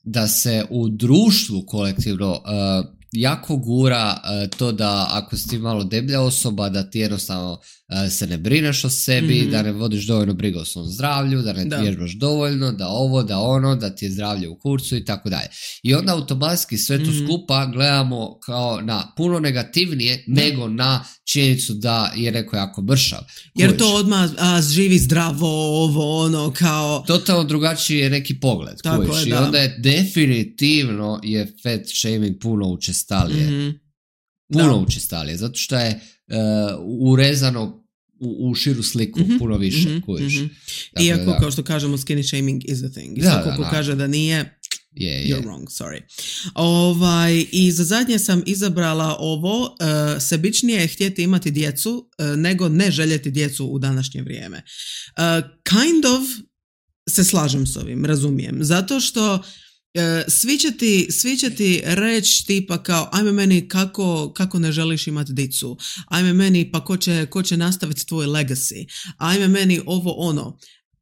da se u društvu kolektivno uh, jako gura uh, to da ako si ti malo deblja osoba da ti jednostavno uh, se ne brineš o sebi, mm-hmm. da ne vodiš dovoljno briga o svom zdravlju, da ne vježbaš dovoljno, da ovo, da ono, da ti je zdravlje u kurcu i tako dalje. I onda automatski sve to mm-hmm. skupa gledamo kao na puno negativnije da. Nego na činjenicu da je neko jako mršav. Jer Kojiš. To odmah a, živi zdravo, ovo, ono, kao... Totalno drugačiji je neki pogled. Tako je, I onda je definitivno je fat shaming puno učestalije. Mm-hmm. Puno da. Učestalije, zato što je uh, urezano u, u širu sliku mm-hmm. puno više. Mm-hmm. Kojiš. Mm-hmm. Iako, da. Kao što kažemo, skinny shaming is a thing. I da, svako ko kaže da nije... Yeah, You're yeah. wrong, sorry. Ovaj, i za zadnje sam izabrala ovo, uh, sebičnije je htjeti imati djecu uh, nego ne željeti djecu u današnje vrijeme. Uh, kind of se slažem s ovim, razumijem. Zato što uh, svi će ti, svi će ti reći tipa kao ajme meni kako, kako ne želiš imati dicu, ajme meni pa ko će, ko će nastaviti tvoj legacy, ajme meni ovo ono.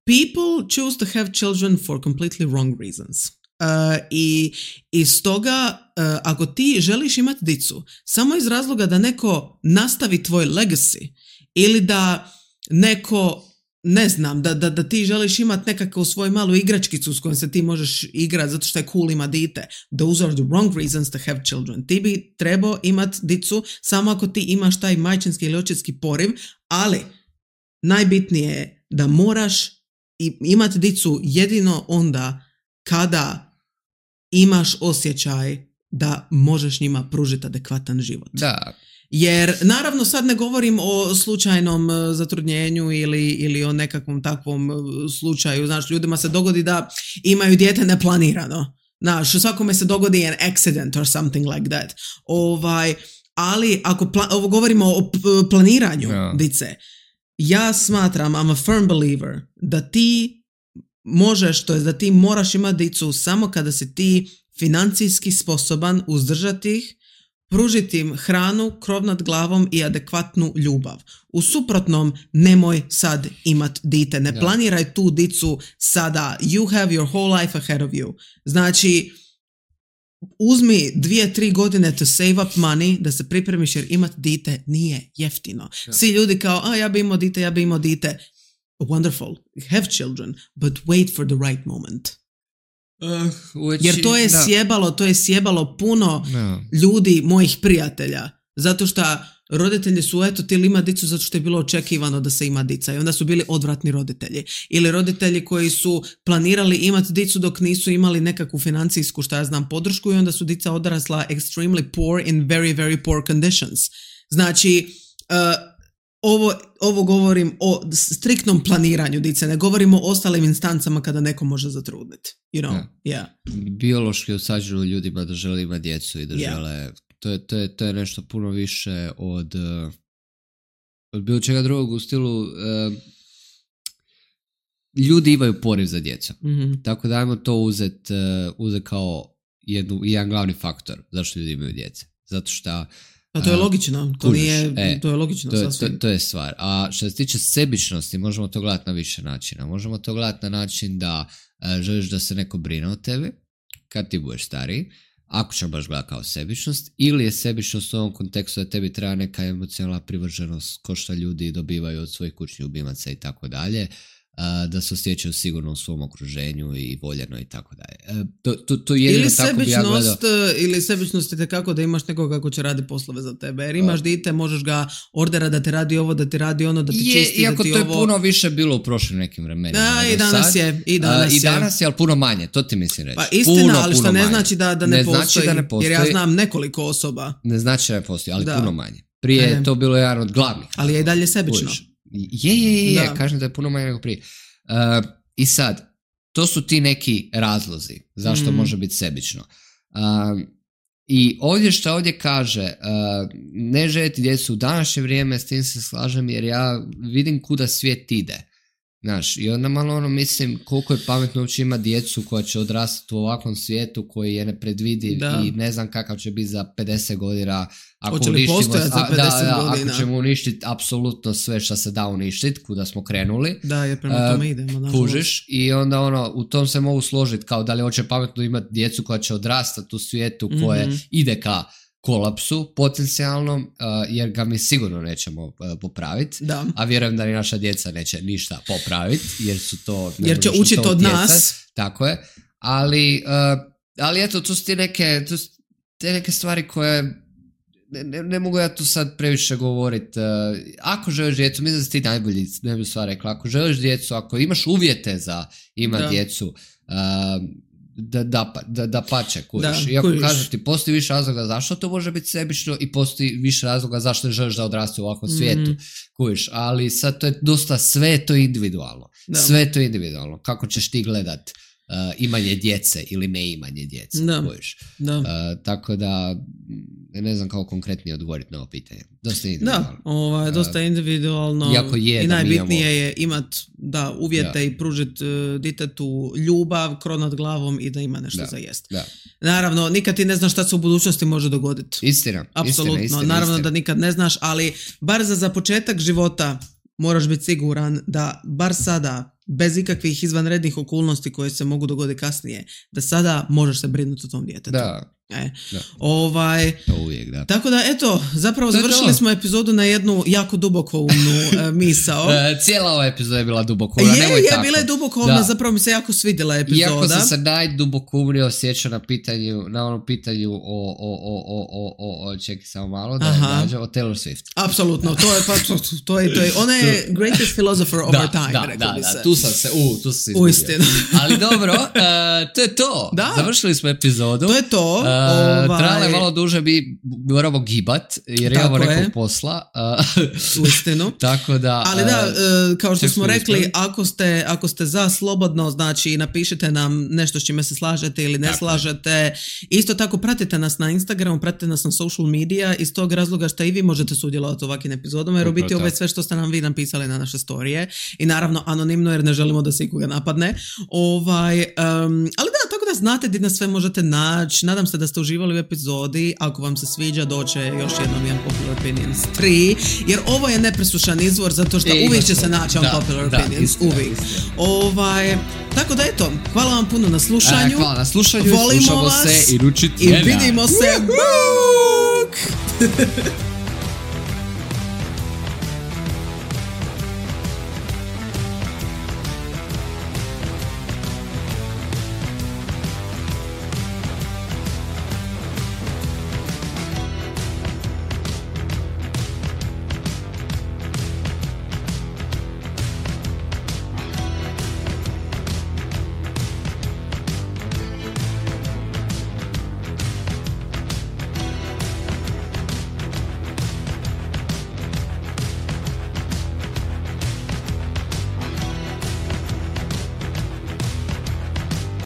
People choose to have children for completely wrong reasons. Uh, i, i stoga uh, ako ti želiš imati dicu samo iz razloga da neko nastavi tvoj legacy ili da neko ne znam, da, da, da ti želiš imati nekakvu svoju malu igračkicu s kojom se ti možeš igrati zato što je cool ima dite, those are the wrong reasons to have children. Ti bi trebao imati dicu samo ako ti imaš taj majčinski ili očinski poriv, ali najbitnije je da moraš imati dicu jedino onda kada imaš osjećaj da možeš njima pružiti adekvatan život. Da. Jer naravno sad ne govorim o slučajnom zatrudnjenju ili, ili o nekakvom takvom slučaju. Znaš, ljudima se dogodi da imaju dijete neplanirano. Znaš, svakome se dogodi an accident or something like that. Ovaj, ali ako pla- ovo govorimo o p- planiranju yeah. dice, ja smatram, I'm a firm believer, da ti možeš, to je da ti moraš imati dicu samo kada si ti financijski sposoban uzdržati ih, pružiti im hranu, krov nad glavom i adekvatnu ljubav. U suprotnom, nemoj sad imat dite. Ne planiraj tu dicu sada. You have your whole life ahead of you. Znači, uzmi dvije, tri godine to save up money, da se pripremiš jer imat dite nije jeftino. Ja. Svi ljudi kao, a ja bi imao dite, ja bi imao dite. wonderful, have children, but wait for the right moment. Uh, which, Jer to je da. sjebalo, to je sjebalo puno No. ljudi, mojih prijatelja. Zato što roditelji su, eto, ti li ima dicu zato što je bilo očekivano da se ima dica i onda su bili odvratni roditelji. Ili roditelji koji su planirali imati dicu dok nisu imali nekakvu financijsku, šta ja znam, podršku i onda su dica odrasla extremely poor in very, very poor conditions. Znači, uh, ovo, ovo govorim o striktnom planiranju dice, ne govorimo o ostalim instancama kada neko može zatrudniti. You know, yeah. yeah. Biološki usađeno ljudima da žele imati djecu i da yeah. žele... To je, to, je, to je nešto puno više od, uh, od bilo čega drugog u stilu uh, ljudi imaju poriv za djecu. Mm-hmm. Tako da ajmo to uzeti uh, uzet kao jednu, jedan glavni faktor zašto ljudi imaju djece. Zato što... A to je logično. To, kužiš, nije, e, to je logično. To, to, to je stvar. A što se tiče sebičnosti, možemo to gledati na više načina. Možemo to gledati na način da uh, želiš da se neko brine o tebi kad ti budeš stariji. Ako ćemo baš gledati kao sebičnost, ili je sebičnost u ovom kontekstu da tebi treba neka emocionalna privrženost ko što ljudi dobivaju od svojih kućnih ljubimaca i tako dalje, da se osjećaju sigurno u svom okruženju i voljeno i tako dalje. To, to, to jedino ili tako bi ja gledao. Ili sebičnost je kako da imaš nekoga ko će radi poslove za tebe. Jer imaš dite, možeš ga ordera da ti radi ovo, da ti radi ono, da ti je, čisti, da ti ovo. Iako to je puno više bilo u prošlim nekim vremenima. Da, i danas sad. je. I danas, A, i danas je, ali puno manje, to ti mislim reći. Pa istina, puno, ali što ne znači da, da ne, ne postoji, znači da ne postoji. Jer ja znam nekoliko osoba. Ne znači da ne postoji, ali da. puno manje. Prije je to bilo jedan od glavnih. Ali je i dalje sebično. Je, je, je, je. kažem da je puno manje nego prije. Uh, I sad, to su ti neki razlozi zašto mm. može biti sebično. Uh, I ovdje što ovdje kaže, uh, ne željeti djecu u današnje vrijeme, s tim se slažem jer ja vidim kuda svijet ide. Znaš, i onda malo ono mislim koliko je pametno uopće ima djecu koja će odrastati u ovakvom svijetu koji je nepredvidiv da. I ne znam kakav će biti za pedeset godina. Ako Hoće li postojati za pedeset da, da, godina? Ako ćemo uništiti apsolutno sve što se da uništiti, kuda smo krenuli. Da, jer prema tome idemo. Uh, kužiš i onda ono, u tom se mogu složiti kao da li hoće pametno imati djecu koja će odrastati u svijetu koje mm-hmm. ide ka kolapsu potencijalnom, uh, jer ga mi sigurno nećemo uh, popraviti, a vjerujem da ni naša djeca neće ništa popraviti, jer su to... Jer će učiti od djeca, nas. Tako je, ali, uh, ali eto, tu su ti neke, tu su te neke stvari koje ne, ne, ne mogu ja tu sad previše govoriti. Uh, ako želiš djecu, mislim da si ti najbolji, najbolji stvar rekla, ako želiš djecu, ako imaš uvjete za ima djecu, uh, Da, da, da, da pače, kužiš. Iako kažeš ti, postoji više razloga zašto to može biti sebično i postoji više razloga zašto ne želiš da odrasti u ovakvom mm. svijetu, kužiš. Ali sad to je dosta, sve je to individualno. Da. Sve je to individualno. Kako ćeš ti gledat uh, imanje djece ili ne imanje djece, da. kužiš. Da. Uh, tako da, ne znam kako konkretnije odgovoriti na ovo pitanje. Dosta individualno. Da, ovaj, dosta individualno. Iako je, i najbitnije imamo... je imat da, uvjete da. I pružiti uh, ditetu ljubav, krov nad glavom i da ima nešto da. Za jest. Da. Naravno, nikad ti ne znaš šta se u budućnosti može dogoditi. Istina. Apsolutno. Istina, istina, Naravno istina. Da nikad ne znaš, ali bar za, za početak života moraš biti siguran da bar sada, bez ikakvih izvanrednih okolnosti koje se mogu dogoditi kasnije, da sada možeš se brinuti o tom djetetu. Da. E, da. Ovaj, to uvijek, da. Tako da, eto, zapravo to završili smo epizodu na jednu jako dubokoumnu uh, misao. Cijela ova epizoda je bila dubokoumna, nemoj je, tako. Je, bila je dubokoumna, zapravo mi se jako svidjela epizoda. Iako sam se najdubokoumnije osjećao na pitanju, na onom pitanju o, o, o, o, o, o, o čekaj samo malo, da je o Taylor Swift. Apsolutno, to je, pa, to, to je, to je, ona je greatest philosopher of da, our time, da, rekao da, bi da, se. tu sam se, u, tu sam se izgubio. Uistinu. Ali dobro, uh, to je to. Da. Završili smo epizodu. To je to. Uh, ovaj... Trajalo je malo duže, bi moramo gibat, jer imamo nekog posla. Uh, Uistinu. Tako da... Ali da, uh, kao što smo rekli, ako ste, ako ste za slobodno, znači napišite nam nešto s čime se slažete ili ne tako slažete. Je. Isto tako pratite nas na Instagramu, pratite nas na social media, iz tog razloga što i vi možete sudjelovati u ovakvim epizodama, jer u biti ovo je sve što ste nam vi napisali na naše storije. I naravno anonimno, jer ne želimo da se ikoga napadne. Ovaj, um, ali da, tako da znate gdje nas sve možete naći. Nadam se da ste uživali u epizodi. Ako vam se sviđa, doće još jednom Unpopular Opinions tri, jer ovo je nepresušan izvor, zato što e, uvijek će se naći Unpopular da, Opinions, da, istina, uvijek. Istina. Ovaj, tako da eto, hvala vam puno na slušanju. E, hvala na slušanju, volimo slušamo vas se i ručit i vidimo se.